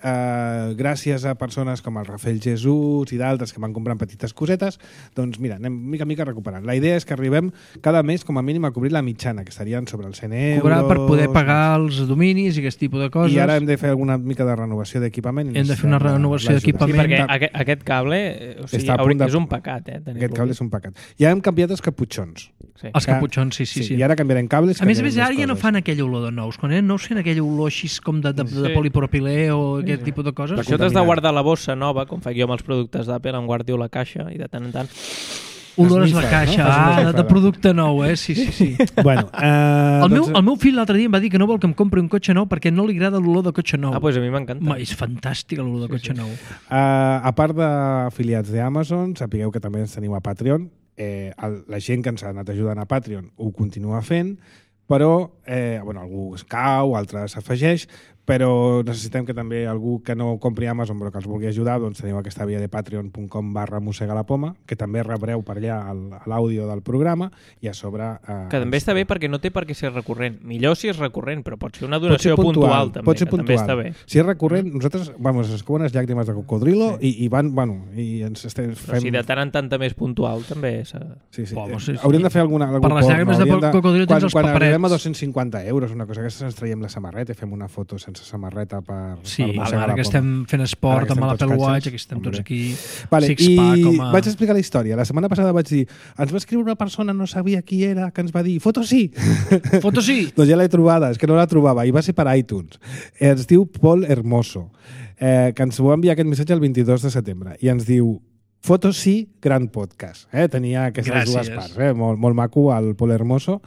gràcies a persones com el Rafael Jesús i d'altres que van comprant petites cosetes, doncs mira, anem mica a mica recuperant. La idea és que arribem cada mes com a mínim a cobrir la mitjana, que estarien sobre els 100 euros... Cobrar per poder pagar els dominis i aquest tipus de coses. I ara hem de fer alguna mica de renovació d'equipament. Hem de fer una renovació d'equipament. Sí, perquè aquest cable és un pecat. Aquest cable és un pecat. Ja hem canviat els caputxons. Els caputxons, sí. I ara canviarem cables. A més, ara ja no fan aquella olor de nous. Quan eren nous, fent aquella olor així com de polipropilè o aquest tipus de coses. Això t'has de guardar la bossa nova, com faig jo amb els productes d'Apple, em guardo la caixa i de tant en tant... Olores la caixa, de producte nou, sí. Bueno, el meu fill l'altre dia em va dir que no vol que em compri un cotxe nou perquè no li agrada l'olor de cotxe nou. Doncs a mi m'encanta. És fantàstic l'olor de cotxe nou. A part d'afiliats d'Amazon, sapigueu que també ens teniu a Patreon. La gent que ens ha anat ajudant a Patreon ho continua fent, però algú es cau, altre s'afegeix, però necessitem que també algú que no compri Amazon però que els vulgui ajudar, doncs teniu aquesta via de patreon.com/mossegalapoma, que també rebreu per allà l'àudio del programa i a sobre... Que també està bé perquè no té per què ser recurrent. Millor si és recurrent, però pot ser una donació puntual també, pot ser puntual. També està bé. Si és recurrent, nosaltres, ens cauen les llàgrimes de cocodrilo i van, i ens estem fem... Però si de tant en tant també és puntual, també... Sí. Sí. Hauríem de fer algun per les llàgrimes de cocodrilo tens els paperets. Quan arribem a 250 euros, una cosa, aquesta ens traiem la samarreta i fem una foto sense samarreta per ara que estem fent esport amb l'Apple Watch, aquí estem tots aquí six-pack com a... Vaig explicar la història. La setmana passada vaig dir, ens va escriure una persona, no sabia qui era, que ens va dir, foto sí! Foto sí! Doncs ja l'he trobada, és que no la trobava, i va ser per iTunes. Es diu Paul Hermoso, que ens va enviar aquest missatge el 22 de setembre, i ens diu, foto sí, gran podcast. Tenia aquestes dues parts. Molt maco, el Paul Hermoso.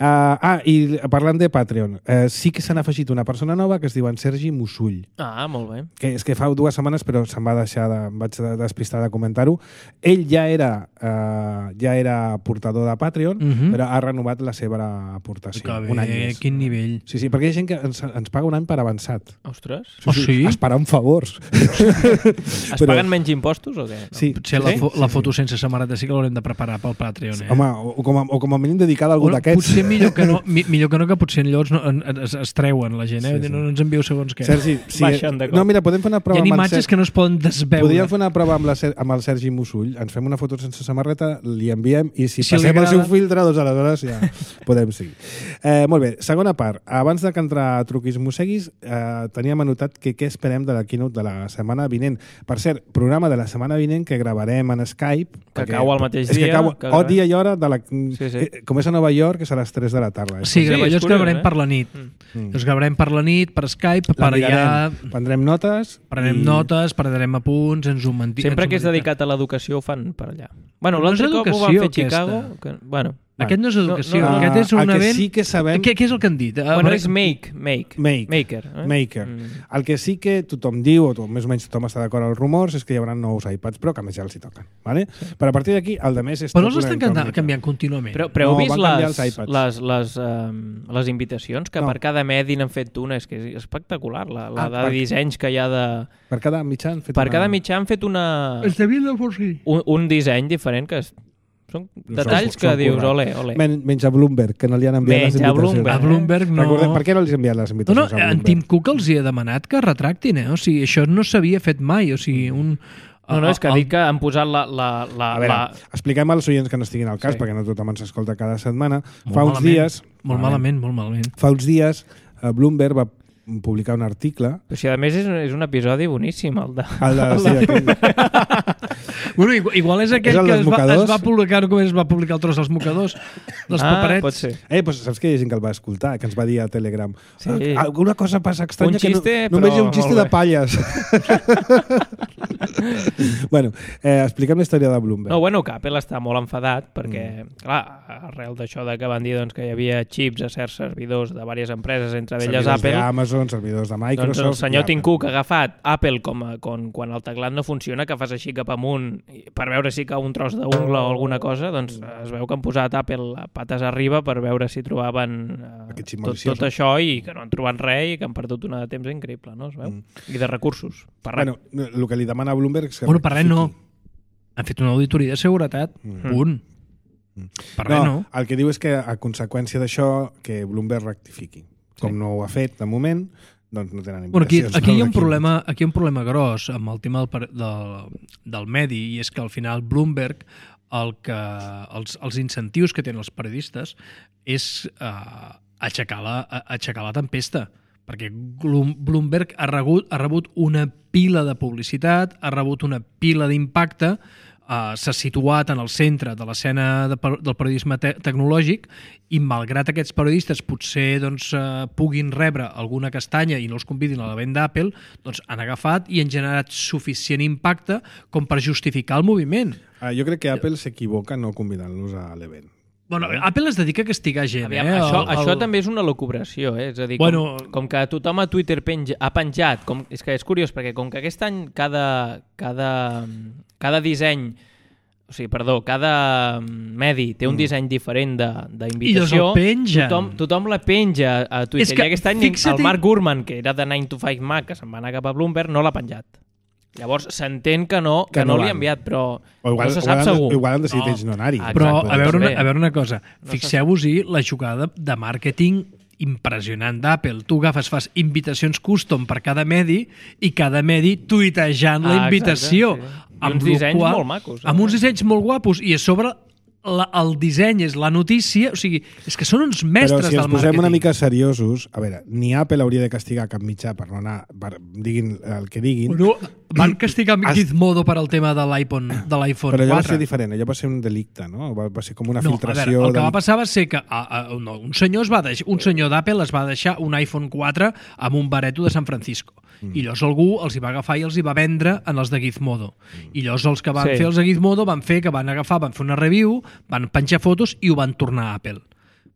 I parlant de Patreon, sí que s'han afegit una persona nova que es diu en Sergi Musull. Molt bé. Que és que fa 2 setmanes, però se'm va deixar em vaig despistar de comentar-ho. Ell ja era portador de Patreon, però ha renovat la seva aportació. Un any més. Quin nivell. Sí, perquè hi ha gent que ens paga un any per avançat. Ostres. Sí? Esperant favors. Es paguen menys impostos o què? Sí. Potser la foto sense samarreta sí que l'haurem de preparar pel Patreon. Home, o com a mínim dedicada a algú d'aquests. Potser millor que no, que potser llavors es treuen la gent, no ens envieu segons què. Sergi, mira, podem fer una prova hi ha imatges que no es poden desveure. Podríem fer una prova amb el Sergi Musull, ens fem una foto sense samarreta, li enviem i si passem el seu filtre, doncs aleshores ja podem seguir. Molt bé, segona part. Abans de que entrar a Truquis Mosseguis, teníem anotat què esperem de la keynote de la setmana vinent. Per cert, programa de la setmana vinent que gravarem en Skype. Que cau al mateix dia. És que cau dia i hora de la... Com és a Nova York, és a les 3 de la tarda. Sí, els gravarem per la nit. Els gravarem per la nit, per Skype, per allà... Prendrem notes. Prendrem apunts, ens ho mentim. Sempre que és dedicat a l'educació ho fan per allà. Bueno, l'altre cop ho van fer a Chicago. Aquest no és educació, aquest és un event... Sí que sabem... Què és el que han dit? Bueno, és Maker. El que sí que tothom diu, o més o menys tothom està d'acord als rumors, és que hi haurà nous iPads Pro, que a més ja els hi toquen. Vale? Sí. Però a partir d'aquí, el de més és... Però els estan canviant contínuament. Però heu vist les invitacions, que per cada medi n'han fet una, és que és espectacular, la de dissenys que hi ha de... Per cada mitjà han fet cada mitjà han fet un disseny diferent que són detalls que dius, ole. Menys a Bloomberg, que no li han enviat les invitacions. A Bloomberg no. Recordem, per què no li han enviat les invitacions a Bloomberg? En Tim Cook els hi ha demanat que retractin, O sigui, això no s'havia fet mai, o sigui, és que dic que han posat A veure, expliquem als oients que no estiguin al cas, perquè no tothom ens escolta cada setmana. Fa uns dies... Molt malament. Fa uns dies, Bloomberg va publicar un article... Però si a més és un episodi boníssim, el de... Bueno, igual és aquell que es va publicar com es va publicar el tros dels mocadors, dels paperets. Pot ser. Pues saps que hi ha gent que el va escoltar, que ens va dir a Telegram. Sí. Alguna cosa passa estranya que només hi ha un xiste de palles. Bueno, expliquem la història de Bloomberg. Que Apple està molt enfadat perquè, clar, arrel d'això que van dir que hi havia xips a certs servidors de diverses empreses, entre elles Apple. Amazon, servidors de Microsoft... Doncs el senyor Tim Cook ha agafat Apple com quan el teclat no funciona, que fas així cap amunt per veure si cau un tros d'ungla o alguna cosa, doncs es veu que han posat Apple pates arriba per veure si trobaven tot això i que no han trobat res i que han perdut una de temps increïble, no? Es veu? I de recursos. Bueno, el que li demana Bloomberg és que... Bueno, per res no. Han fet una auditoria de seguretat. Punt. Per res no. El que diu és que a conseqüència d'això que Bloomberg rectifiqui. Com no ho ha fet de moment, doncs no tenen invitacions. Aquí hi ha un problema gros amb el tema del medi, i és que al final Bloomberg els incentius que tenen els periodistes és aixecar la tempesta, perquè Bloomberg ha rebut una pila de publicitat, ha rebut una pila d'impacte, s'ha situat en el centre de l'escena del periodisme tecnològic, i malgrat aquests periodistes potser puguin rebre alguna castanya i no els convidin a l'event d'Apple, doncs han agafat i han generat suficient impacte com per justificar el moviment. Jo crec que Apple s'equivoca no convidant-los a l'event. Bueno, Apple es dedica a castigar gent. Aviam, això també és una locubració, és a dir, com que tothom a Twitter ha penjat, és que és curiós, perquè com que aquest any cada disseny O sigui, perdó, cada medi té un disseny diferent d'invitació. I llavors el pengen. Tothom la penja a Twitter. És que, I aquest any el Mark Gurman, que era de 9 to 5 Mac, que se'n va anar cap a Bloomberg, no l'ha penjat. Llavors s'entén que no li ha enviat, però no se sap segur. Igual han decidit ells no anar-hi. Però a veure una cosa, fixeu-vos-hi la jugada de màrqueting impressionant d'Apple. Tu fas invitacions custom per cada medi i cada medi tuitejant la invitació. Exacte, sí. Amb uns dissenys molt macos. Amb uns dissenys molt guapos i a sobre el disseny és la notícia. O sigui, és que són uns mestres del màrqueting. Però si ens posem una mica seriosos, a veure, ni Apple hauria de castigar cap mitjà per no anar, diguin el que diguin. Bueno, van castigar Gizmodo per al tema de l'iPhone 4. Però allò va ser diferent, allò va ser un delicte, no? Va ser com una filtració. A veure, el que va passar va ser que un senyor d'Apple es va deixar un iPhone 4 amb un bareto de San Francisco. I llavors algú els hi va agafar i els hi va vendre en els de Gizmodo. I llavors els que van fer els de Gizmodo van fer una review, van penjar fotos i ho van tornar a Apple.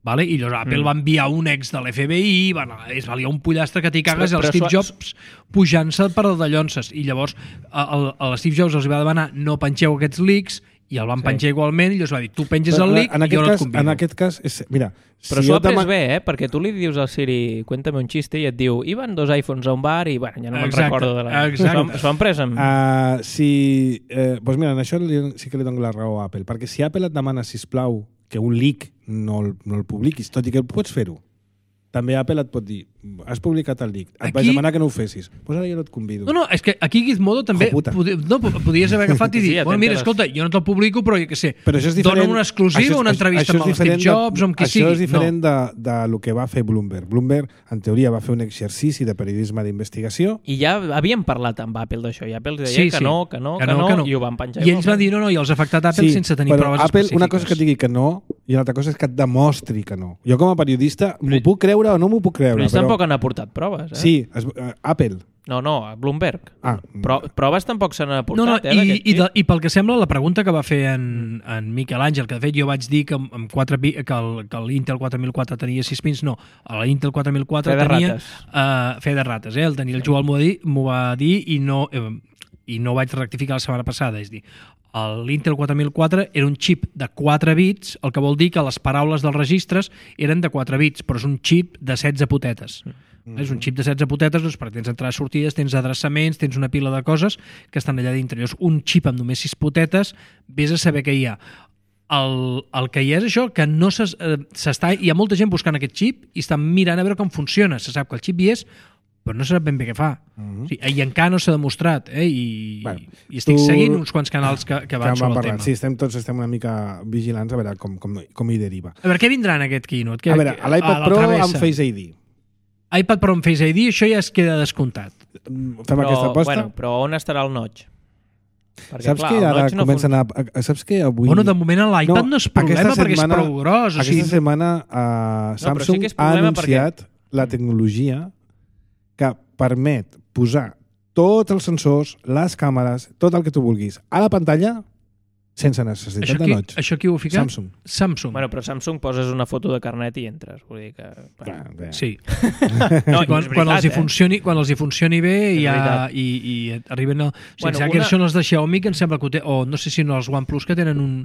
Vale? I llavors Apple va enviar un ex de l'FBI, es valia un pollastre que t'hi cagues, el Steve Jobs pujant-se per de llonces. I llavors el Steve Jobs els va demanar no pengeu aquests leaks i el van penjar igualment i llavors va dir, tu penges el leak i jo no et convido. En aquest cas, mira... Però s'ho ha pres bé, perquè tu li dius al Siri cuéntame un xiste i et diu iban 2 iPhones a un bar i ja no me'n recordo de la... S'ho han pres amb... Doncs mira, en això sí que li dono la raó a Apple, perquè si Apple et demana, sisplau, que un leak no el publiquis, tot i que pots fer-ho, també Apple et pot dir, has publicat el leak, et vaig demanar que no ho fessis, doncs ara jo no et convido. No, és que aquí Gizmodo també podies haver agafat i dir, bueno, mira, escolta, jo no te'l publico, però jo què sé, dona una exclusiva, una entrevista amb el Steve Jobs o amb qui sigui. Això és diferent de lo que va fer Bloomberg. Bloomberg, en teoria, va fer un exercici de periodisme d'investigació. I ja havíem parlat amb Apple d'això, i Apple deia que no, i ho van penjar. I ells van dir, no, i els ha afectat Apple sense tenir proves específiques. Una cosa és que et digui que no, i una altra cosa és que et demostri que no. Jo com a periodista m'ho puc creure o no m'ho puc creure. Però ells tampoc han aportat proves, eh? Sí, Apple. No, Bloomberg. Proves tampoc se n'han aportat, I pel que sembla, la pregunta que va fer en Miquel Àngel, que de fet jo vaig dir que l'Intel 4004 tenia 6 pins, no, l'Intel 4004 tenia... Fe de rates, el tenia el Joel m'ho va dir i no vaig rectificar la setmana passada, és dir, l'Intel 4004 era un xip de 4 bits, el que vol dir que les paraules dels registres eren de 4 bits, però és un xip de 16 potetes. És un xip de 16 potetes, doncs, perquè tens entrades, sortides, tens adreçaments, tens una pila de coses que estan allà dintre. Llavors, un xip amb només 6 potetes, vés a saber què hi ha. El que hi ha és això, que no hi ha molta gent buscant aquest xip i estan mirant a veure com funciona. Se sap que el xip hi és, però no sap ben bé què fa. I encara no s'ha demostrat, i estic seguint uns quants canals que van sobre el tema. Sí, tots estem una mica vigilants a veure com hi deriva. A veure, què vindrà en aquest keynote? A veure, l'iPad Pro amb Face ID. iPad Pro amb Face ID, això ja es queda descomptat. Fem aquesta aposta? Bueno, però on estarà el notch? Perquè, saps que ara comencen a... Saps que avui... Bueno, de moment l'iPad no és problema perquè és prou gros. Aquesta setmana Samsung ha anunciat la tecnologia que permet posar tots els sensors, les càmeres, tot el que tu vulguis a la pantalla sense necessitat de notch. Això qui ho ha ficat? Samsung. Bueno, però Samsung poses una foto de carnet i entres. Vull dir que... Sí. Quan els hi funcioni bé i arriben... Que són els de Xiaomi, que em sembla que o no sé si no els OnePlus, que tenen un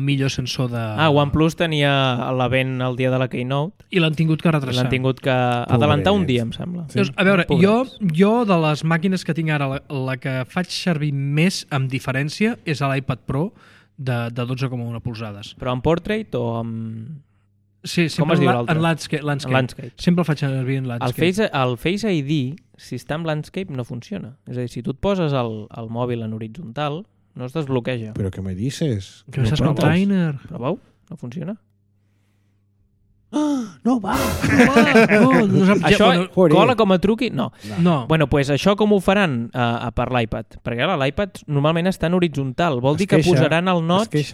millor sensor de... OnePlus tenia l'event el dia de la Keynote. I l'han tingut que retrasar. L'han tingut que adelantar un dia, em sembla. A veure, jo de les màquines que tinc ara, la que faig servir més amb diferència és l'iPad Pro de 12,1 polzades. Però en portrait o amb... Sí, sempre en landscape. Sempre el faig servir en landscape. El Face ID, si està en landscape, no funciona. És a dir, si tu et poses el mòbil en horitzontal, no es desbloqueja. Però què me dices? Que estàs con trainer. Proveu, no funciona. No va! Això cola com a truqui? No. Bueno, pues això com ho faran per l'iPad? Perquè l'iPad normalment està en horitzontal. Vol dir que posaran el notch...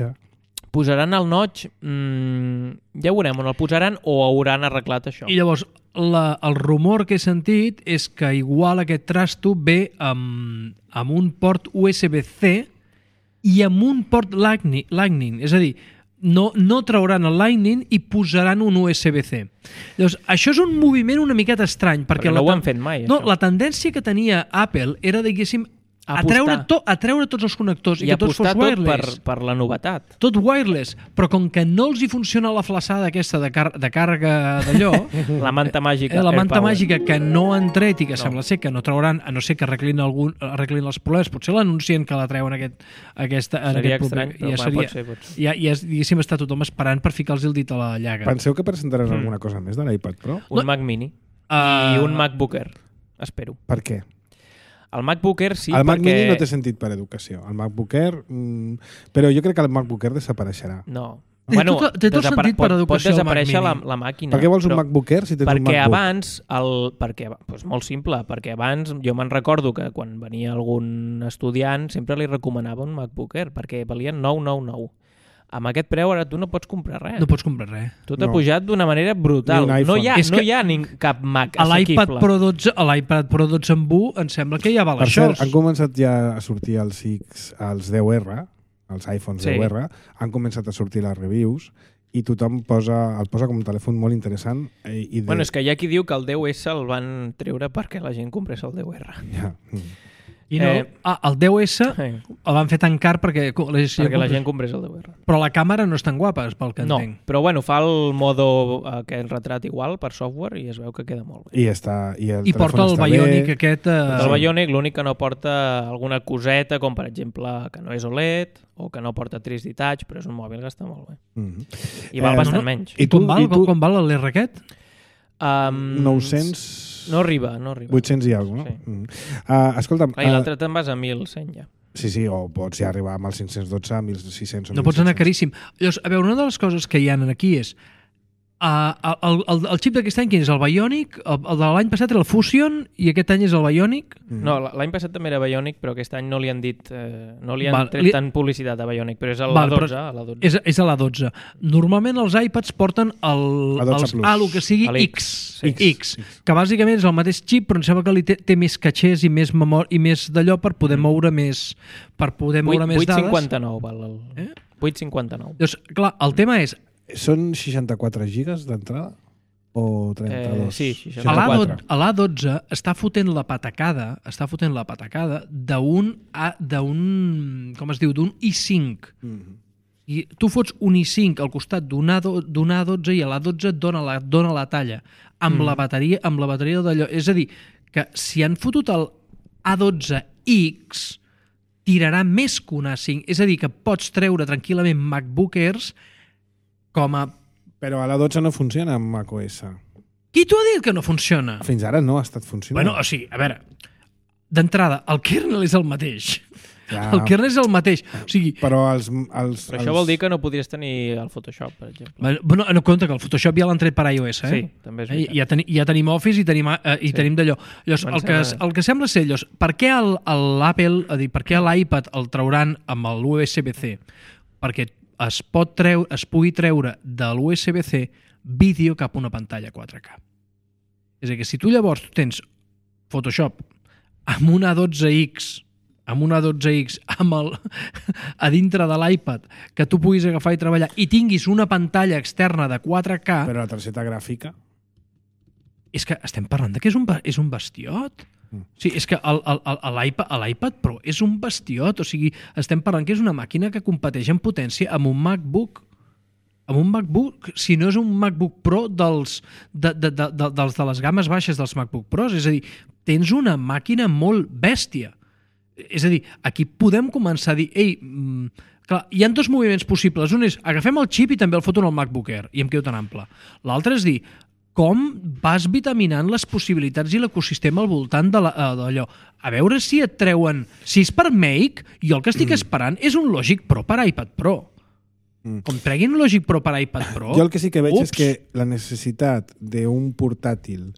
Posaran el notch... ja ho veurem, on el posaran o hauran arreglat això. I llavors, el rumor que he sentit és que igual aquest trasto ve amb un port USB-C i amb un port Lightning. És a dir, no trauran el Lightning i posaran un USB-C. Llavors, això és un moviment una miqueta estrany. Perquè no ho han fet mai, no, la tendència que tenia Apple era, diguéssim, a treure tots els connectors i que tots fos wireless. Per la novetat. Tot wireless, però com que no els hi funciona la flaçada aquesta de càrrega d'allò... La manta màgica. La manta màgica que no han tret i que sembla ser que no trauran, a no ser que arreglin els problemes. Potser l'anuncien que la treuen aquesta... Seria estrany, però pot ser. Ja, diguéssim, està tothom esperant per ficar-los el dit a la llaga. Penseu que presentaran alguna cosa més de l'iPad Pro? Un Mac Mini i un MacBook Air, espero. Per què? El MacBook Air sí, el Mac Mini no té sentit per educació. El MacBook Air... Però jo crec que el MacBook Air desapareixerà. No. Bueno, té tot sentit per educació. Pot desaparèixer la màquina. Per què vols un MacBook Air si tens un MacBook? Doncs molt simple, perquè abans jo me'n recordo que quan venia algun estudiant sempre li recomanava un MacBook Air, perquè valien 999. Amb aquest preu ara tu no pots comprar res. No pots comprar res. Tot ha pujat d'una manera brutal. No hi ha cap Mac assequible. A l'iPad Pro 12 amb 1 em sembla que ja val això. Per cert, han començat ja a sortir els 10R, els iPhones 10R, han començat a sortir les reviews i tothom el posa com un telèfon molt interessant. Bueno, és que hi ha qui diu que el 10S el van treure perquè la gent comprés el 10R. Ja. I no, el 10S el van fer tan car perquè la gent comprés el 10R. Però la càmera no és tan guapa, pel que entenc. No, però bueno, fa el modo aquest retrat igual per software i es veu que queda molt bé. I porta el Bionic aquest... El Bionic, l'únic que no porta alguna coseta, com per exemple que no és OLED o que no porta 3D Touch, però és un mòbil que està molt bé. I val bastant menys. I com val l'R aquest? 900... No arriba. 800 i alguna cosa, no? Sí. Escolta'm... I l'altre te'n vas a 1.100 ja. Sí, o pots ja arribar amb el 512 a 1.600 o 1.600. No pots anar caríssim. Llavors, a veure, una de les coses que hi ha aquí és el xip d'aquest any, quin és? El Bionic? El de l'any passat era el Fusion i aquest any és el Bionic? No, l'any passat també era Bionic, però aquest any no li han dit... no li han tret tant publicitat a Bionic, però és a l'A12. És a l'A12. Normalment els iPads porten el que sigui X, que bàsicament és el mateix xip, però em sembla que té més catxers i més memòria i més d'allò per poder moure més dades. 859 val el... 859. Doncs, clar, el tema és... Són 64 gigas d'entrada? O 32? Sí, 64. A l'A12 està fotent la patacada d'un com es diu, d'un i5. I tu fots un i5 al costat d'un A12 i a l'A12 et dona la talla amb la bateria d'allò. És a dir, que si han fotut el A12X tirarà més que un A5. És a dir, que pots treure tranquil·lament MacBook Airs Però a la 12 no funciona amb macOS. Qui t'ho ha dit que no funciona? Fins ara no ha estat funcionant. Bueno, o sigui, a veure, d'entrada, el kernel és el mateix. Ja. El kernel és el mateix. O sigui, però això vol dir que no podries tenir el Photoshop, per exemple. Bueno, no compte que el Photoshop ja l'han tret per iOS, Sí, també és veritat. Ja tenim Office i tenim d'allò. Llavors, el que sembla ser, per què l'Apple, per què l'iPad el trauran amb l'USB-C? Perquè es pugui treure de l'USB-C vídeo cap a una pantalla 4K. És a dir, que si tu llavors tens Photoshop amb una 12X a dintre de l'iPad que tu puguis agafar i treballar i tinguis una pantalla externa de 4K... Però la targeta gràfica... És que estem parlant que és un bestiot. Sí, és que l'iPad Pro és un bestiot, o sigui, estem parlant que és una màquina que competeix en potència amb un MacBook. Amb un MacBook, si no és un MacBook Pro dels de les games baixes dels MacBook Pros, és a dir, tens una màquina molt bèstia. És a dir, aquí podem començar a dir, clar, hi ha dos moviments possibles. Un és, agafem el xip i també el foto en el MacBook Air, i em quedo tan ample. L'altre és dir, com vas vitaminant les possibilitats i l'ecosistema al voltant d'allò. A veure si et treuen... Si és per Make, jo el que estic esperant és un Logic Pro per iPad Pro. Com treguin un Logic Pro per iPad Pro... Jo el que sí que veig és que la necessitat d'un portàtil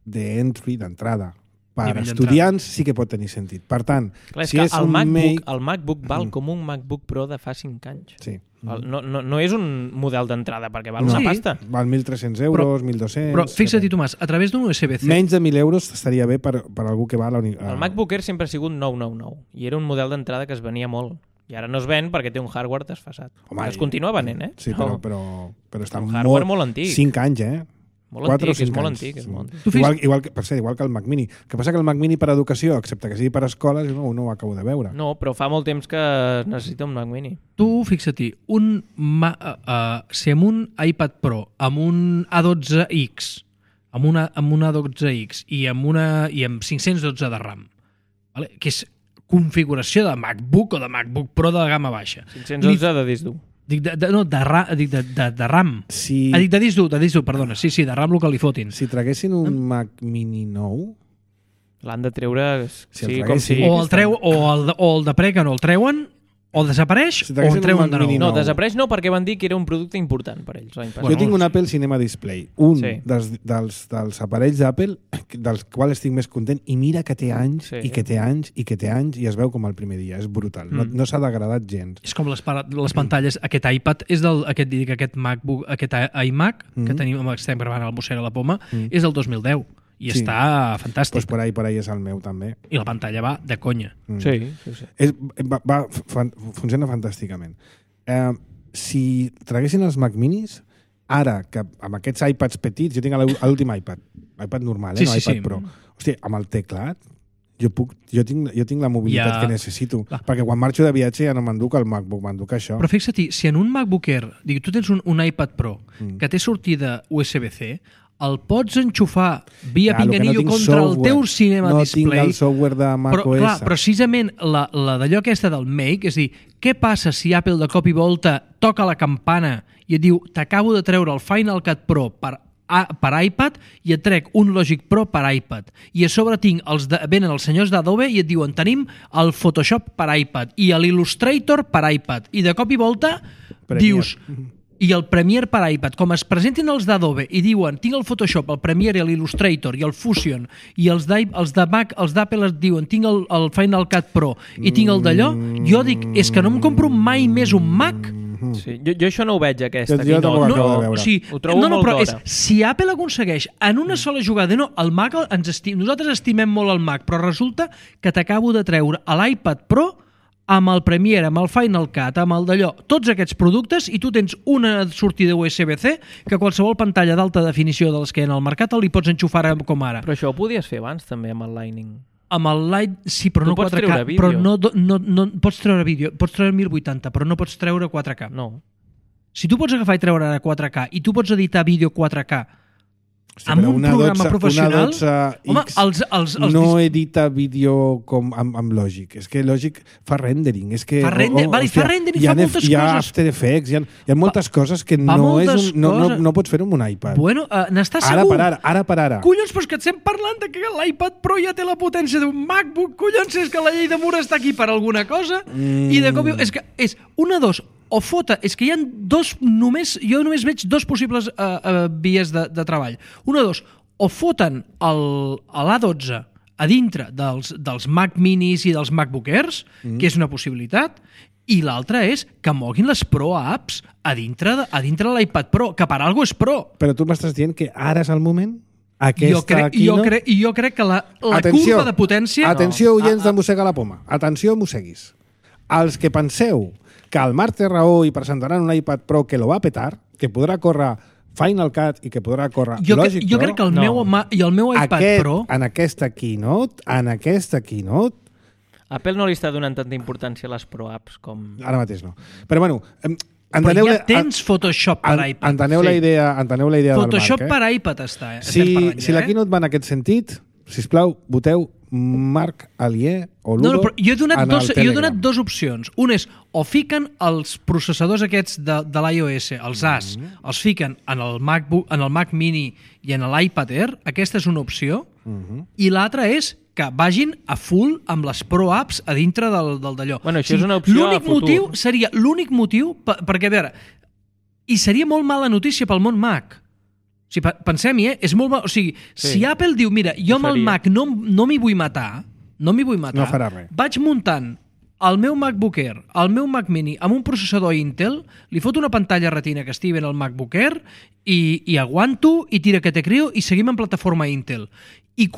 d'entry, d'entrada, per estudiants sí que pot tenir sentit. Per tant, clar, si és el MacBook val com un MacBook Pro de fa 5 anys. Sí. No és un model d'entrada, perquè val una pasta. Val 1.300 euros, 1.200... Però fixa't-hi, Tomàs, a través d'un USB-C... Menys de 1.000 euros estaria bé per algú que va a la universitat. El MacBook Air sempre ha sigut 999 i era un model d'entrada que es venia molt. I ara no es ven perquè té un hardware desfasat. Es continua venent, Sí, però està un hardware molt antic. 5 anys, Molt antic, és molt antic. Igual que el Mac Mini. El que passa que el Mac Mini per educació, excepte que sigui per escoles, no ho acabo de veure. No, però fa molt temps que necessita un Mac Mini. Tu, fixa-t'hi, si amb un iPad Pro, amb un A12X, amb una A12X i amb 512 de RAM, vale? Que és configuració de MacBook o de MacBook Pro de la gamma baixa. 512 de disc dur. Dic de RAM. Si... Dic de disc dur, perdona. Sí, de RAM el que li fotin. Si traguessin un Mac Mini nou... L'han de treure... Si com si... O el de pre que no el treuen, o desapareix, o en treuen de nou. No, desapareix no, perquè van dir que era un producte important per ells. Jo tinc un Apple Cinema Display, dels aparells d'Apple, dels quals estic més content, i mira que té anys, i que té anys, i que té anys, i es veu com el primer dia. És brutal. No s'ha degradat gens. És com les pantalles. Aquest iPad és aquest MacBook, aquest iMac que estem gravant al Mossega la Poma, és del 2010. I està fantàstic. Pues per ahí és el meu, també. I la pantalla va de conya. Sí. Funciona fantàsticament. Si traguessin els Mac Minis, ara que amb aquests iPads petits, jo tinc l'últim iPad normal, no iPad Pro. Hòstia, amb el teclat, jo tinc la mobilitat que necessito. Perquè quan marxo de viatge ja no m'enduc el MacBook, m'enduc això. Però fixa't, si en un MacBook Air, tu tens un iPad Pro que té sortida USB-C, el pots enxufar via pinganillo contra el teu Cinema Display. No tinc el software de macOS. Però, precisament la d'allò aquesta del Make, és dir, què passa si Apple de cop i volta toca la campana i et diu t'acabo de treure el Final Cut Pro per iPad i et trec un Logic Pro per iPad. I a sobre venen els senyors d'Adobe i et diuen tenim el Photoshop per iPad i l'Illustrator per iPad. I de cop i volta dius... I el Premiere per iPad, com es presentin els d'Adobe i diuen tinc el Photoshop, el Premiere, l'Illustrator i el Fusion, i els de Mac, els d'Apple es diuen tinc el Final Cut Pro i tinc el d'allò, jo dic, és que no em compro mai més un Mac. Sí. Jo això no ho veig, aquesta. Jo tampoc ho acabo de veure. Ho trobo molt d'hora. Si Apple aconsegueix en una sola jugada, el Mac, nosaltres estimem molt el Mac, però resulta que t'acabo de treure a l'iPad Pro amb el Premiere, amb el Final Cut, amb el d'allò, tots aquests productes, i tu tens una sortida USB-C que qualsevol pantalla d'alta definició de les que hi ha al mercat li pots enxufar com ara. Però això ho podies fer abans també amb el Lightning. Amb el Light, sí, però no 4K. Però no pots treure vídeo, pots treure 1080, però no pots treure 4K. No. Si tu pots agafar i treure ara 4K i tu pots editar vídeo 4K amb un programa professional, home, no edita vídeo com amb Logic. És que Logic fa rendering. Fa rendering, fa moltes coses. Hi ha After Effects, hi ha moltes coses que no pots fer amb un iPad. Bueno, n'estàs segur? Ara per ara. Collons, però és que et estem parlant de que l'iPad Pro ja té la potència d'un MacBook. Collons, és que la llei de Moore està aquí per alguna cosa. I de cop és que és una, dos, o fota, és que hi ha jo només veig dos possibles vies de treball. Una, dos, o foten l'A12 a dintre dels Mac Minis i dels MacBook Airs, que és una possibilitat, i l'altra és que moguin les Pro Apps a dintre de l'iPad Pro, que per alguna cosa és Pro. Però tu m'estàs dient que ara és el moment? Jo crec que la curva de potència... Atenció, oients de Mossega la Poma. Atenció, mosseguis. Els que penseu que el Marc té raó i presentaran un iPad Pro que lo va petar, que podrà córrer Final Cut i que podrà córrer Logic Pro... Jo crec que el meu iPad Pro... En aquesta keynote, Apple no li està donant tanta importància a les Pro Apps com... Ara mateix no. Però bueno... Però ja tens Photoshop per iPad. Enteneu la idea del Marc. Photoshop per iPad està. Si la keynote va en aquest sentit, sisplau, voteu Marc Alier o Ludo jo he donat dues opcions. Un és, o fiquen els processadors aquests de l'iOS, els AS, els fiquen en el Mac Mini i en l'iPad Air, aquesta és una opció, i l'altra és que vagin a full amb les Pro Apps a dintre del d'allò. Bueno, això és una opció a futur. L'únic motiu, perquè a veure, i seria molt mala notícia pel món Mac. O sigui, pensem-hi, és molt... O sigui, si Apple diu, mira, jo amb el Mac no m'hi vull matar, no farà res. Vaig muntant el meu MacBook Air, el meu Mac Mini, amb un processador Intel, li foto una pantalla retina que estigui ben al MacBook Air i aguanto, i tira que te crio, i seguim en plataforma Intel. I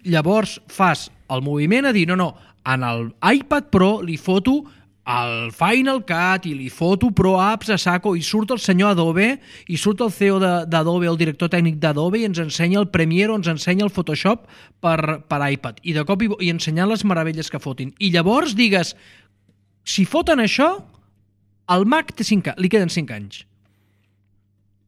llavors fas el moviment a dir, no, en l'iPad Pro li foto al Final Cut i li foto Pro Apps a saco i surt el senyor Adobe i surt el CEO d'Adobe, el director tècnic d'Adobe i ens ensenya el Premiere o ens ensenya el Photoshop per iPad i de cop i ensenyant les meravelles que fotin. I llavors digues, si foten això, el Mac té 5 anys, li queden 5 anys.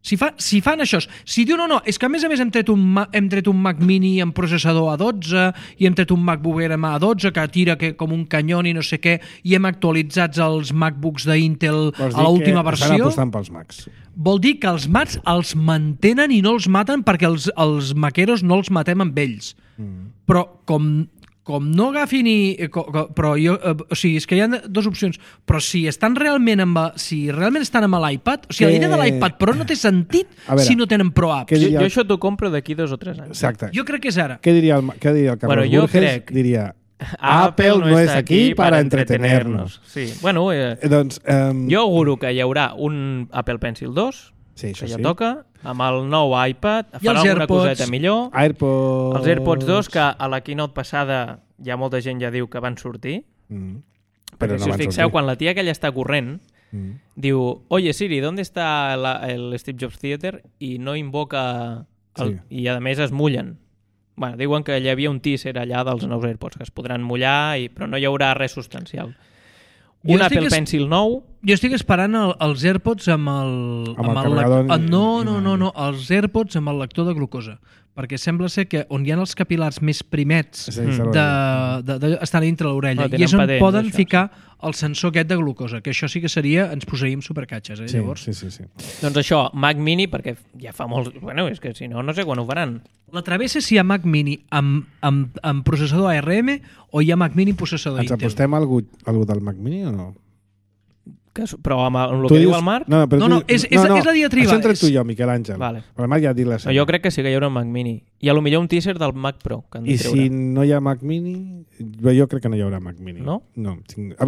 Si fan això, si diu no, és que a més hem tret un Mac Mini amb processador A12 i hem tret un MacBook Air amb A12 que tira com un canyón i no sé què i hem actualitzat els MacBooks d'Intel a l'última versió, estan apostant pels Macs. Vol dir que els Macs els mantenen i no els maten perquè els maqueros no els matem amb ells. Però com no agafin però jo, o sigui, és que hi ha dues opcions, però si realment estan amb l'iPad, o sigui, la idea de l'iPad Pro no té sentit si no tenen Pro Apps. Jo això t'ho compro d'aquí 2 o 3 anys. Exacte. Jo crec que és ara. Què diria el Carlos Burges? Diria, Apple no és aquí para entretenernos. Sí. Bueno, jo auguro que hi haurà un Apple Pencil 2, que ja toca, amb el nou iPad, farà alguna coseta millor. Els AirPods 2, que a la keynote passada ja molta gent ja diu que van sortir. Perquè si us fixeu, quan la tia aquella està corrent, diu, oye Siri, ¿dónde está el Steve Jobs Theater? I no invoca... I a més es mullen. Bueno, diuen que hi havia un teaser allà dels nous AirPods, que es podran mullar, però no hi haurà res substancial. Apple Pencil nou... Jo estic esperant els AirPods amb el carregador... No, els AirPods amb el lector de glucosa. Perquè sembla ser que on hi ha els capil·lars més primets estan dintre l'orella. I és on poden ficar el sensor aquest de glucosa, que això sí que seria... Ens posaríem supercatxes, llavors. Sí. Doncs això, Mac Mini, perquè ja fa molts... Bueno, és que si no sé quan ho faran. La travessa si hi ha Mac Mini amb processador ARM o hi ha Mac Mini processador Intel. Ens apostem a algú del Mac Mini o no? Però amb el que diu el Marc? No, és la diatriba. Això entre tu i jo, Miquel Àngel. Vale. Però el Marc ja ha dit la seva. Jo crec que sí que hi haurà un Mac Mini. I a lo millor un teaser del Mac Pro. Que han de treure. Si no hi ha Mac Mini, jo crec que no hi haurà Mac Mini. No? No.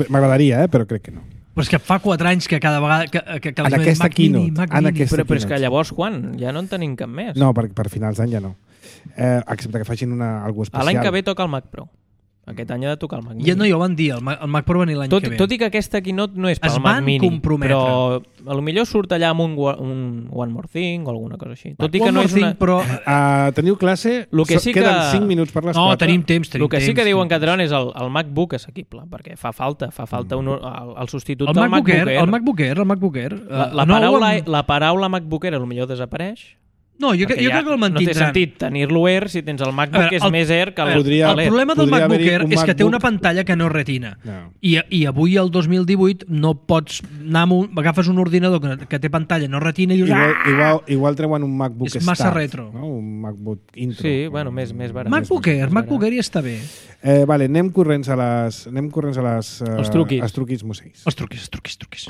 M'agradaria, però crec que no. Però és que fa 4 anys que cada vegada... Que en aquesta keynote. Però és que llavors, quan? Ja no en tenim cap més. No, per finals d'any ja no. Excepte que facin alguna especial. L'any que ve toca el Mac Pro. Aquest any ha de tocar el Mac Mini. Ja no, ja ho van dir, el Mac Pro va venir l'any que ve. Tot i que aquesta keynote no és pel Mac Mini, però potser surt allà amb un One More Thing o alguna cosa així. Tot i que no és una... Però... teniu classe? Queden 5 minuts per les 4. No, tenim temps. El que sí que diuen que treuen és el MacBook assequible, perquè fa falta el substitut del MacBook Air. El MacBook Air. La paraula MacBook Air potser desapareix. No, jo crec que el mantindran. No té sentit tenir-lo Air si tens el MacBook que és més Air que l'Air. El problema del MacBook Air és que té una pantalla que no és retina. I avui, el 2018, no pots anar agafes un ordinador que té pantalla no retina i dius... Igual treuen un MacBook Start. És massa retro. Un MacBook Intro. Sí, bueno, més barat. MacBook Air ja està bé. Vale, anem corrents a les... Els truquis. Els truquis museis. Els truquis.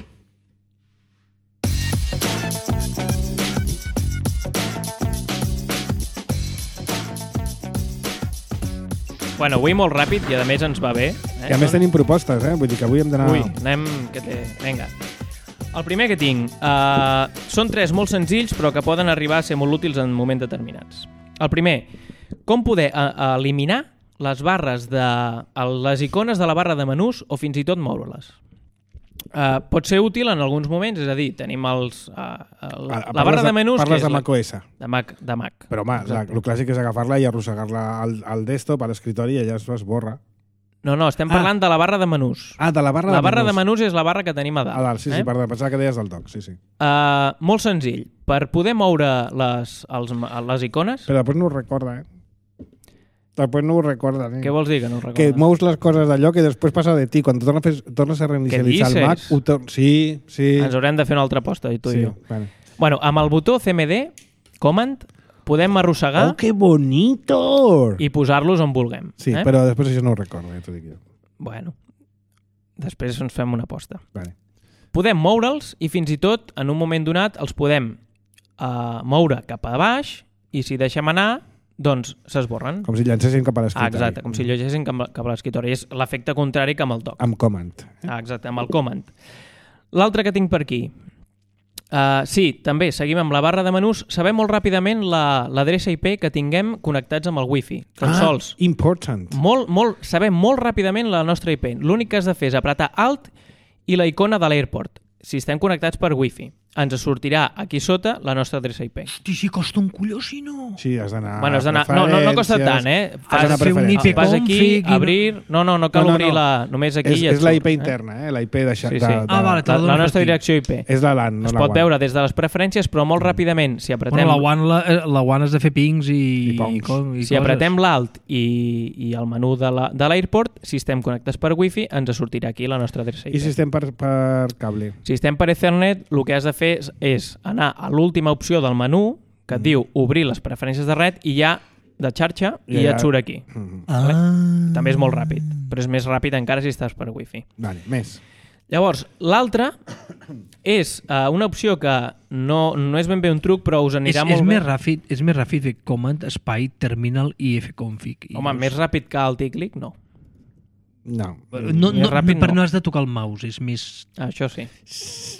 Bueno, avui molt ràpid i a més ens va bé. I a més tenim propostes, vull dir que avui hem d'anar... Anem... Vinga. El primer que tinc són 3 molt senzills però que poden arribar a ser molt útils en moments determinats. El primer, com poder eliminar les barres les icones de la barra de menús o fins i tot moure-les. Pot ser útil en alguns moments, és a dir, tenim la barra de menús... Parles de macOS. De Mac. Però home, el clàssic és agafar-la i arrossegar-la al desktop, a l'escritori, i allà es esborra. No, estem parlant de la barra de menús. De la barra de menús. La barra de menús és la barra que tenim a dalt. A dalt, sí, perdó, pensava que deies del dock, sí. Molt senzill. Per poder moure les icones... Però després no ho recorda, Després no ho recorda. Què vols dir que no ho recorda? Que mous les coses d'allò que després passa de ti. Quan tornes a reinicialitzar el Mac... Sí. Ens haurem de fer una altra aposta, tu i jo. Vale. Bueno, amb el botó CMD, Command, podem arrossegar... Oh, que bonito! I posar-los on vulguem. Sí, però després això no ho recorda, ja t'ho dic jo. Bueno, després ens fem una aposta. Vale. Podem moure'ls i fins i tot, en un moment donat, els podem moure cap a baix i si deixem anar... doncs s'esborren. Com si llancessin cap a l'escritori. Exacte, com si llegeixessin cap a l'escritori. És l'efecte contrari que amb el dock. Amb Command. Exacte, amb el Command. L'altre que tinc per aquí. Sí, també seguim amb la barra de menús. Sabem molt ràpidament l'adreça IP que tinguem connectats amb el Wi-Fi. Sols. Important. Sabem molt ràpidament la nostra IP. L'únic que has de fer és apretar Alt i la icona de l'Airport, si estem connectats per Wi-Fi. Ens sortirà aquí sota la nostra adreça IP. Hosti, si costa un colló, si no. Sí, has d'anar Bueno, no costa tant, Has d'anar fer un IP Vas aquí, config... abrir... No cal obrir la... Només aquí és la IP interna, la IP de... Sí. Vale, la nostra direcció IP. És la LAN, no es la pot WAN. veure des de les preferències, però molt ràpidament, si apretem... Bueno, la WAN has de fer pings i si apretem l'alt i el menú de l'Airport, si estem connectats per Wi-Fi, ens sortirà aquí la nostra adreça IP. I si estem per cable? Si estem per Ethernet, el que has de fer és anar a l'última opció del menú que et diu obrir les preferències de red i ja de xarxa i ja et surt aquí. També és molt ràpid, però és més ràpid encara si estàs per Wi-Fi. Vale, més. Llavors, l'altra és una opció que no és ben bé un truc, però us anirà molt bé. És més ràpid fer command, espai, terminal i fconfig. Home, més ràpid que el tic-clic, no. No. Però no has de tocar el mouse, és més... Això sí.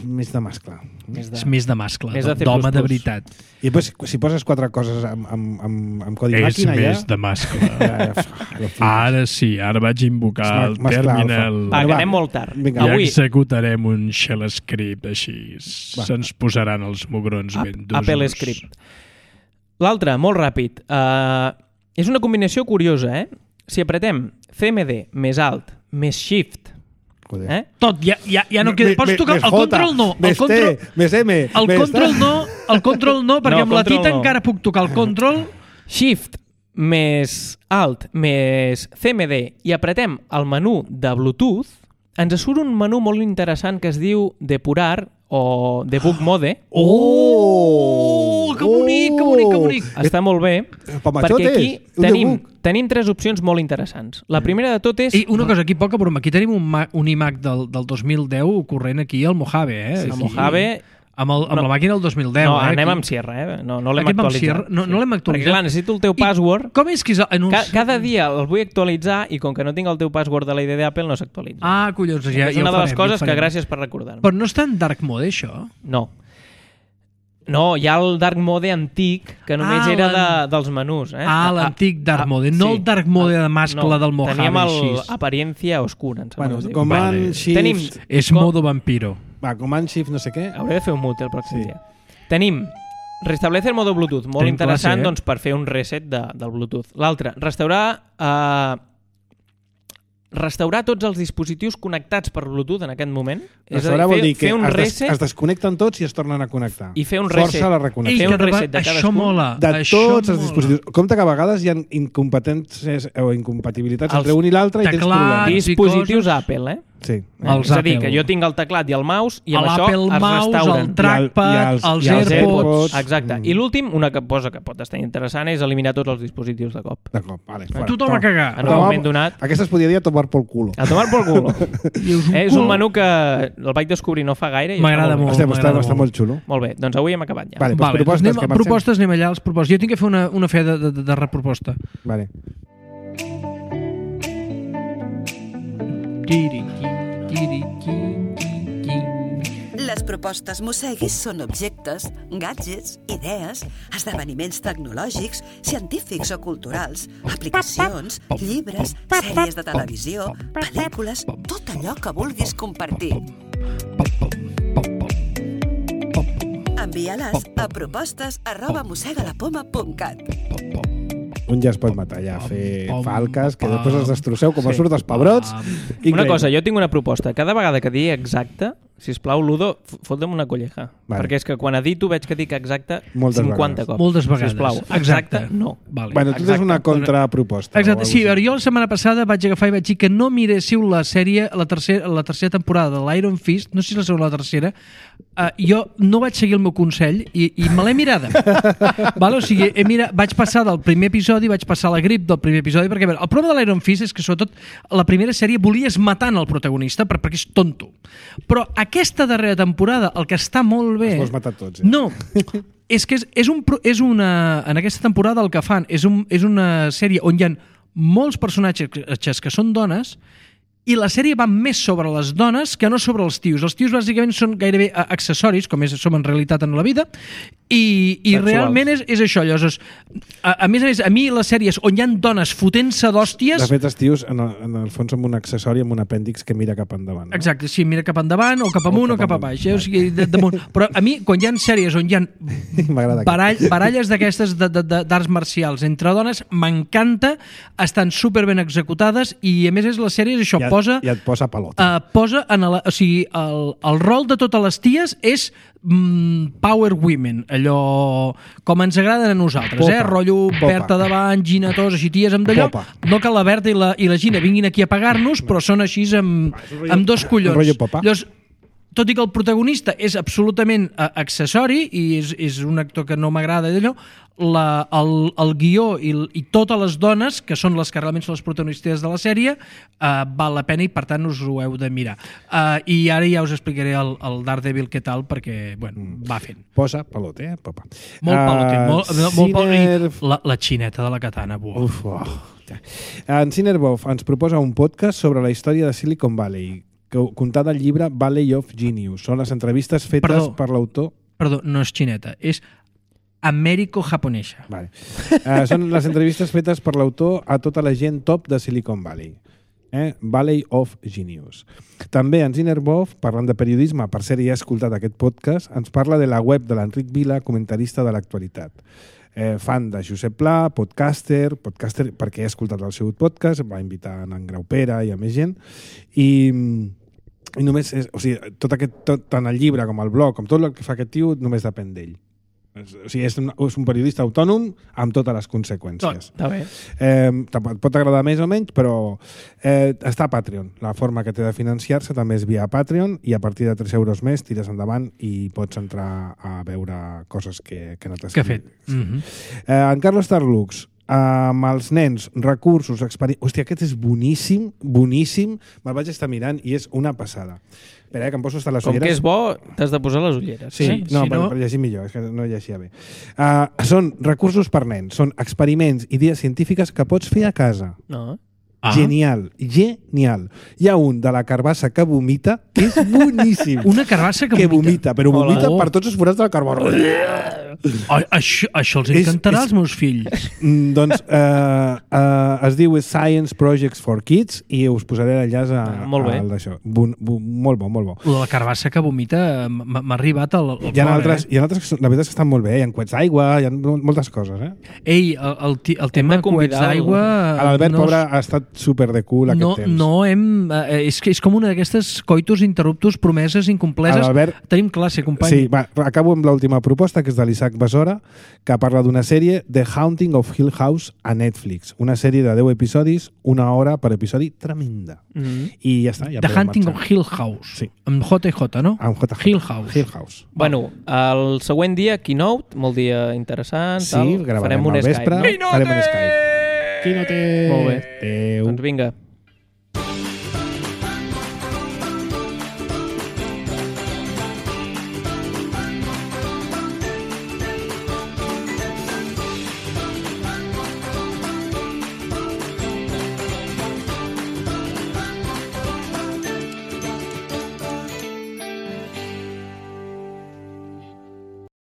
Més de mascle. És més de mascle, de d'home de veritat. I pues, si poses 4 coses amb codi màquina ja... És més de mascle. Ara sí, ara vaig invocar el terminal. Va, que anem molt tard. I executarem un shell script així. Se'ns posaran els mugrons ben d'usos. Apple Script. L'altre, molt ràpid. És una combinació curiosa, Si apretem CMD més alt més Shift... Tot, ja no queda... Pots tocar el control no. Més T, més M... El control no, perquè amb la tita encara puc tocar el control... Shift més alt més CMD i apretem el menú de Bluetooth, ens surt un menú molt interessant que es diu Depurar o Debug Mode. Que bonic! Està molt bé, perquè aquí tenim 3 opcions molt interessants. La primera de tot és... I una cosa, aquí poca broma, aquí tenim un iMac del 2010 corrent aquí al Mojave, El Mojave... Amb la màquina del 2010. No, anem amb Sierra, no l'hem actualitzat. No l'hem actualitzat. Perquè clar, necessito el teu password. Com és que és... Cada dia el vull actualitzar i com que no tinc el teu password de la ID d'Apple no s'actualitza. Collons, ja és una de les coses que gràcies per recordar-me. Però no està en dark mode, això? No, hi ha el dark mode antic que només era dels menús. L'antic dark mode, no el dark mode de mascle del Mojave. Teníem l'aparencia oscura. Command Shift... És modo vampiro. Command Shift no sé què. Hauré de fer un mute el pròxim dia. Tenim restablecer modo Bluetooth, molt interessant per fer un reset del Bluetooth. L'altre, restaurar tots els dispositius connectats per Bluetooth en aquest moment. Restaurar vol dir que es desconnecten tots i es tornen a connectar. I fer un reset. Força la reconnexió. Fer un reset de cadascun. Això mola. De tots els dispositius. Compte que a vegades hi ha incompetències o incompatibilitats entre un i l'altre i tens problemes. Dispositius Apple, Sí. És a dir, que jo tinc el teclat i el mouse i amb això es restauren. El trackpad, els AirPods... Exacte. I l'últim, una cosa que pot estar interessant és eliminar tots els dispositius de cop. Vale. Tothom a cagar. En un moment donat... Aquesta es podria dir a tomar por culo. A tomar por culo. És un menú que el vaig descobrir no fa gaire. M'agrada molt. Està molt xulo. Molt bé, doncs avui hem acabat ja. Vale, propostes, anem allà als propostes. Jo tinc que fer una fe de reproposta. Vale. Les propostes Mosseguis són objectes, gadgets, idees, esdeveniments tecnològics, científics o culturals, aplicacions, llibres, sèries de televisió, pel·lícules, tot allò que vulguis compartir. Envia-les a propostes@mossegalapoma.cat. Un ja es pot matar ja, fer falques, que després els destrosseu com a surt dels pebrots. Una cosa, jo tinc una proposta. Cada vegada que digui exacte, sisplau, Ludo, fota'm una colleja. Perquè és que quan edito veig que dic exacte 50 cops. Moltes vegades. Sisplau, exacte, no. Bueno, tu tens una contraproposta. Exacte, sí, jo la setmana passada vaig agafar i vaig dir que no miréssiu la sèrie, la tercera temporada de l'Iron Fist, no sé si la segona o la tercera, jo no vaig seguir el meu consell i me l'he mirada. O sigui, vaig passar del primer episodi, vaig passar la grip del primer episodi, perquè el problema de l'Iron Fist és que sobretot la primera sèrie volies matant el protagonista perquè és tonto. Però aquesta darrera temporada, el que està molt bé... Els vols matar tots, No, és que en aquesta temporada el que fan és una sèrie on hi ha molts personatges que són dones i la sèrie va més sobre les dones que no sobre els tios. Els tios bàsicament són gairebé accessoris, com som en realitat en la vida, i realment és això. Llavors, a més, a mi les sèries on hi ha dones fotent-se d'hòsties... De fet, els tios, en el fons, són un accessori amb un apèndix que mira cap endavant. No? Exacte, sí, mira cap endavant, o cap amunt, o cap a baix. O sigui, damunt. Però a mi, quan hi ha sèries on hi ha baralles d'aquestes d'arts marcials entre dones, m'encanta, estan superben executades, i a més les sèries, això, I et posa pelota. Posa o sigui, el rol de totes les ties és power women, allò com ens agraden a nosaltres, Popa. Rotllo Berta davant, Gina Tos, així ties amb d'allò. No que la Berta i la Gina vinguin aquí a pagar-nos, però són així amb dos collons. Rotllo popa. Llavors, tot i que el protagonista és absolutament accessori i és un actor que no m'agrada d'allò, el guió i totes les dones, que són les que realment són les protagonistes de la sèrie, val la pena i per tant us ho heu de mirar. I ara ja us explicaré el Daredevil què tal, perquè va fent. Posa pelote, papa. Molt pelote. La xineta de la katana. Uf, en Cinerbov ens proposa un podcast sobre la història de Silicon Valley, contada al llibre Valley of Genius. Són les entrevistes fetes per l'autor... Perdó, no és xineta, és amèrico-japonesa. Vale. Són les entrevistes fetes per l'autor a tota la gent top de Silicon Valley. Valley of Genius. També en Zinerbov, parlant de periodisme, per ser ja escoltat aquest podcast, ens parla de la web de l'Enric Vila, comentarista de l'actualitat. Fan de Josep Pla, podcaster perquè he escoltat el seu podcast, va invitar en Graupera i a més gent, i només tant el llibre com el blog, com tot el que fa aquest tio, només depèn d'ell. O sigui, és un periodista autònom amb totes les conseqüències. Està bé. Pot agradar més o menys, però està a Patreon. La forma que té de financiar-se també és via Patreon, i a partir de 3 euros més tires endavant i pots entrar a veure coses que no t'has... Que ha fet. En Carlos Tarlux, amb els nens, recursos, experiències... Hòstia, aquest és boníssim, boníssim. Me'l vaig estar mirant i és una passada. Espera, que em poso hasta les ulleres. Com que és bo, t'has de posar les ulleres. Sí, per llegir millor, és que no llegia bé. Són recursos per nens, són experiments, idees científiques que pots fer a casa. No. Genial. Hi ha un de la carbassa que vomita, que és boníssim. Una carbassa que vomita? Però vomita per tots els forats del carbó. Això els encantarà als meus fills. Doncs es diu Science Projects for Kids i us posaré l'enllaç al d'això. Molt bo. La carbassa que vomita m'ha arribat al Hi ha altres que la veritat estan molt bé. Hi ha coets d'aigua, hi ha moltes coses. Ei, el tema de coets d'aigua... L'Albert, pobre, ha estat super de cul aquest temps. És com una d'aquestes coitus interruptus, promeses incompleses. Tenim classe, company. Sí, acabo amb l'última proposta, que és de l'Isaac Besora, que parla d'una sèrie, The Haunting of Hill House, a Netflix. Una sèrie de 10 episodis, 1 hora per episodi, tremenda. I ja està. The Haunting of Hill House. Sí. Amb JJ, no? Amb JJ. Hill House. Bueno, el següent dia, Keynote, molt dia interessant. Sí, gravarem al vespre. Farem un Skype. Quinote! Quinote! Molt bé. Doncs vinga.